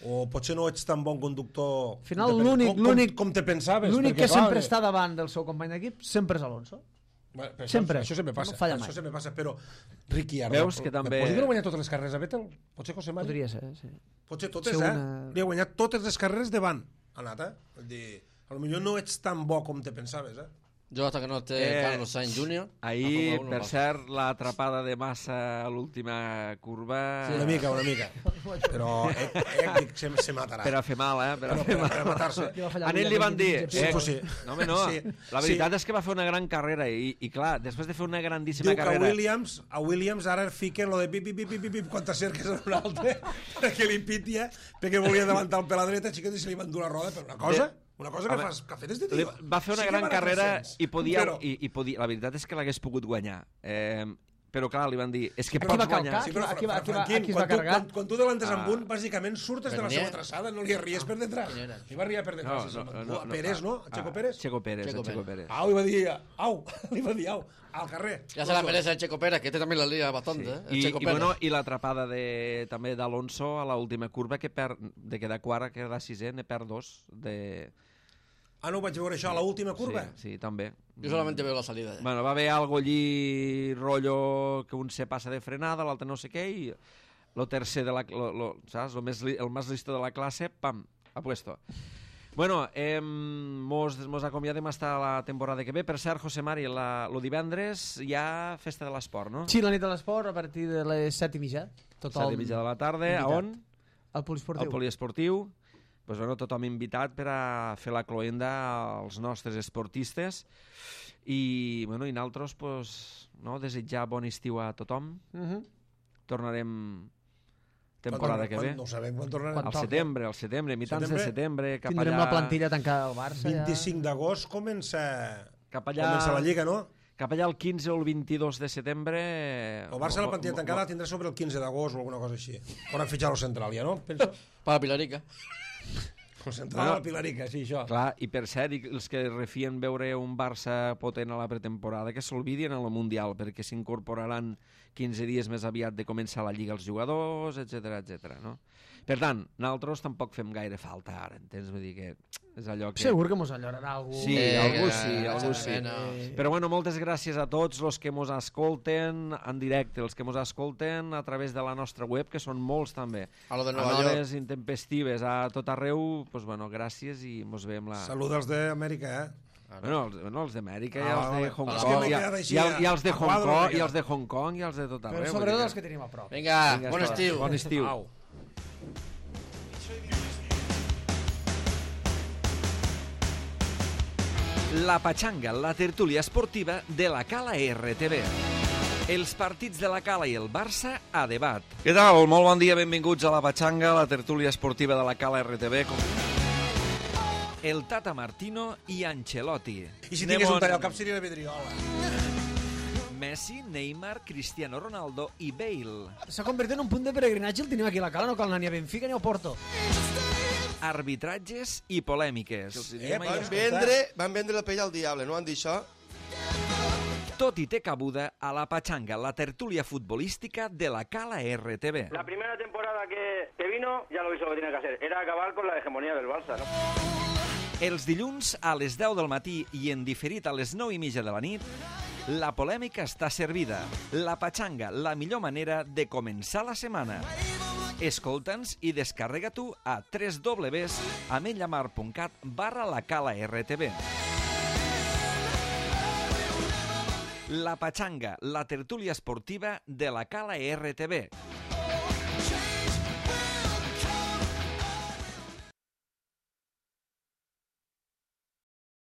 O potser no ets tan bon conductor... Al final, l'únic com te pensaves. L'únic que sempre està davant del seu company d'equip sempre és Alonso. Bueno, sempre. Això sempre passa. No falla això mai. sempre passa, però Ricciardo... Veus que també... Podria haver guanyat totes les carreres a Vettel? Potser José Mari? Podria ser, sí. Potser totes, Li ha guanyat totes les carreres davant. Ha anat, Vull dir, potser no ets tan bo com te pensaves, Jo, hasta que no esté Carlos Sainz Jr. Ahir, per cert, l'atrapada de Massa a l'última curva... Sí, una mica. Però se matarà. Per a fer mal, Per a matar-se. A ell li van dir... Sí. No, home, no. Sí. La veritat és que va fer una gran carrera i clar, després de fer una grandíssima carrera... carrera... Diu que a Williams ara fiquen lo de pip, quan t'acerques a un altre, perquè li pitia, perquè volia davantar el per la dreta, xiquet, i se li van dur la roda per una cosa... Una cosa que fas cafè des de tio. Va fer una gran carrera i podia... La veritat és que l'hagués pogut guanyar. Però clar, li van dir... És que pots guanyar... Aquí va carregar. Quan tu davantes amb un, bàsicament surtes de la seva traçada, no li arries per detrás. Li va arriar per detrás. Pérez, no? Checo Pérez? Checo Pérez. Au, li va dir au, al carrer. Ya se la merece el Checo Pérez, que este también la lía bastante. I l'atrapada també d'Alonso a l'última curva, que de quedar quart a quedar sisè, ne perd 2 de... No ho vaig veure això a l'última curva? Sí, també. Yo solamente veo la salida. Bueno, va haver algo allí, rollo, que un se passa de frenada, l'altre no sé què, i el tercer de la... saps? El més listo de la classe, pam, a puesto. Bueno, mos acomiadem hasta la temporada que ve. Per cert, José Mari, el divendres hi ha Festa de l'Esport, no? Sí, la nit de l'Esport, a partir de les 7:30. 7:30 de la tarda, a on? Al Poliesportiu. Al Poliesportiu. Pues bueno, tothom invitat per a fer la cloenda als nostres esportistes i nosaltres desitjar bon estiu a tothom. Tornarem temporada que ve. No sabem quan tornarem. Al setembre, mitjans de setembre. Tindrem la plantilla tancada al Barça. 25 d'agost comença la Lliga, no? Cap allà el 15 o el 22 de setembre... El Barça la plantilla tancada tindrà sobre el 15 d'agost o alguna cosa així. Hauran fitxat el central, ja, no? Penso. Per la Pilarica. El central a la Pilarica, sí, això. Clar, i per cert, els que refien veure un Barça potent a la pretemporada, que s'olvidien en el Mundial, perquè s'incorporaran 15 dies més aviat de començar la Lliga els jugadors, etc, no? Per tant, nosaltres tampoc fem gaire falta ara, entens? Vull dir que és allò que... Segur que mos enllorarà algú. Sí, algú sí. Però bueno, moltes gràcies a tots els que mos escolten en directe, els que mos escolten a través de la nostra web, que són molts també. A lo de Nova York. A hores intempestives, a tot arreu, doncs bueno, gràcies i mos veiem la... Salut als d'Amèrica, Bueno, els d'Amèrica i els de Hong Kong, i els de Hong Kong, i els de Hong Kong, i els de tot arreu. Però sobretot els que tenim a prop. Vinga, bon estiu. Bon estiu. La Pachanga, la tertúlia esportiva de la Cala RTV. Els partits de la Cala i el Barça a debat. Què tal? Molt bon dia, benvinguts a la Pachanga, la tertúlia esportiva de la Cala RTV. El Tata Martino i Ancelotti. I si tingués un tall al cap seria la vidriola. Messi, Neymar, Cristiano Ronaldo i Bale. S'ha convertit en un punt de peregrinatge el tenim aquí a la Cala, no cal anar ni a Benfica ni a Porto. Arbitratges i polèmiques. Van vendre la pell al diable, no han dit això? Tot i té cabuda a la Pachanga, la tertúlia futbolística de la Cala RTV. La primera temporada que vino, ya lo hizo lo que tenía que hacer, era acabar con la hegemonía del Barça, ¿no? Els dilluns a les 10 del matí i en diferit a les 9:30 de la nit, la polèmica està servida. La Pachanga, la millor manera de començar la setmana. Escolta'ns i descarrega-t'ho a www.amenyamar.cat/lacala-rtv. La Pachanga, la tertúlia esportiva de la Cala RTV.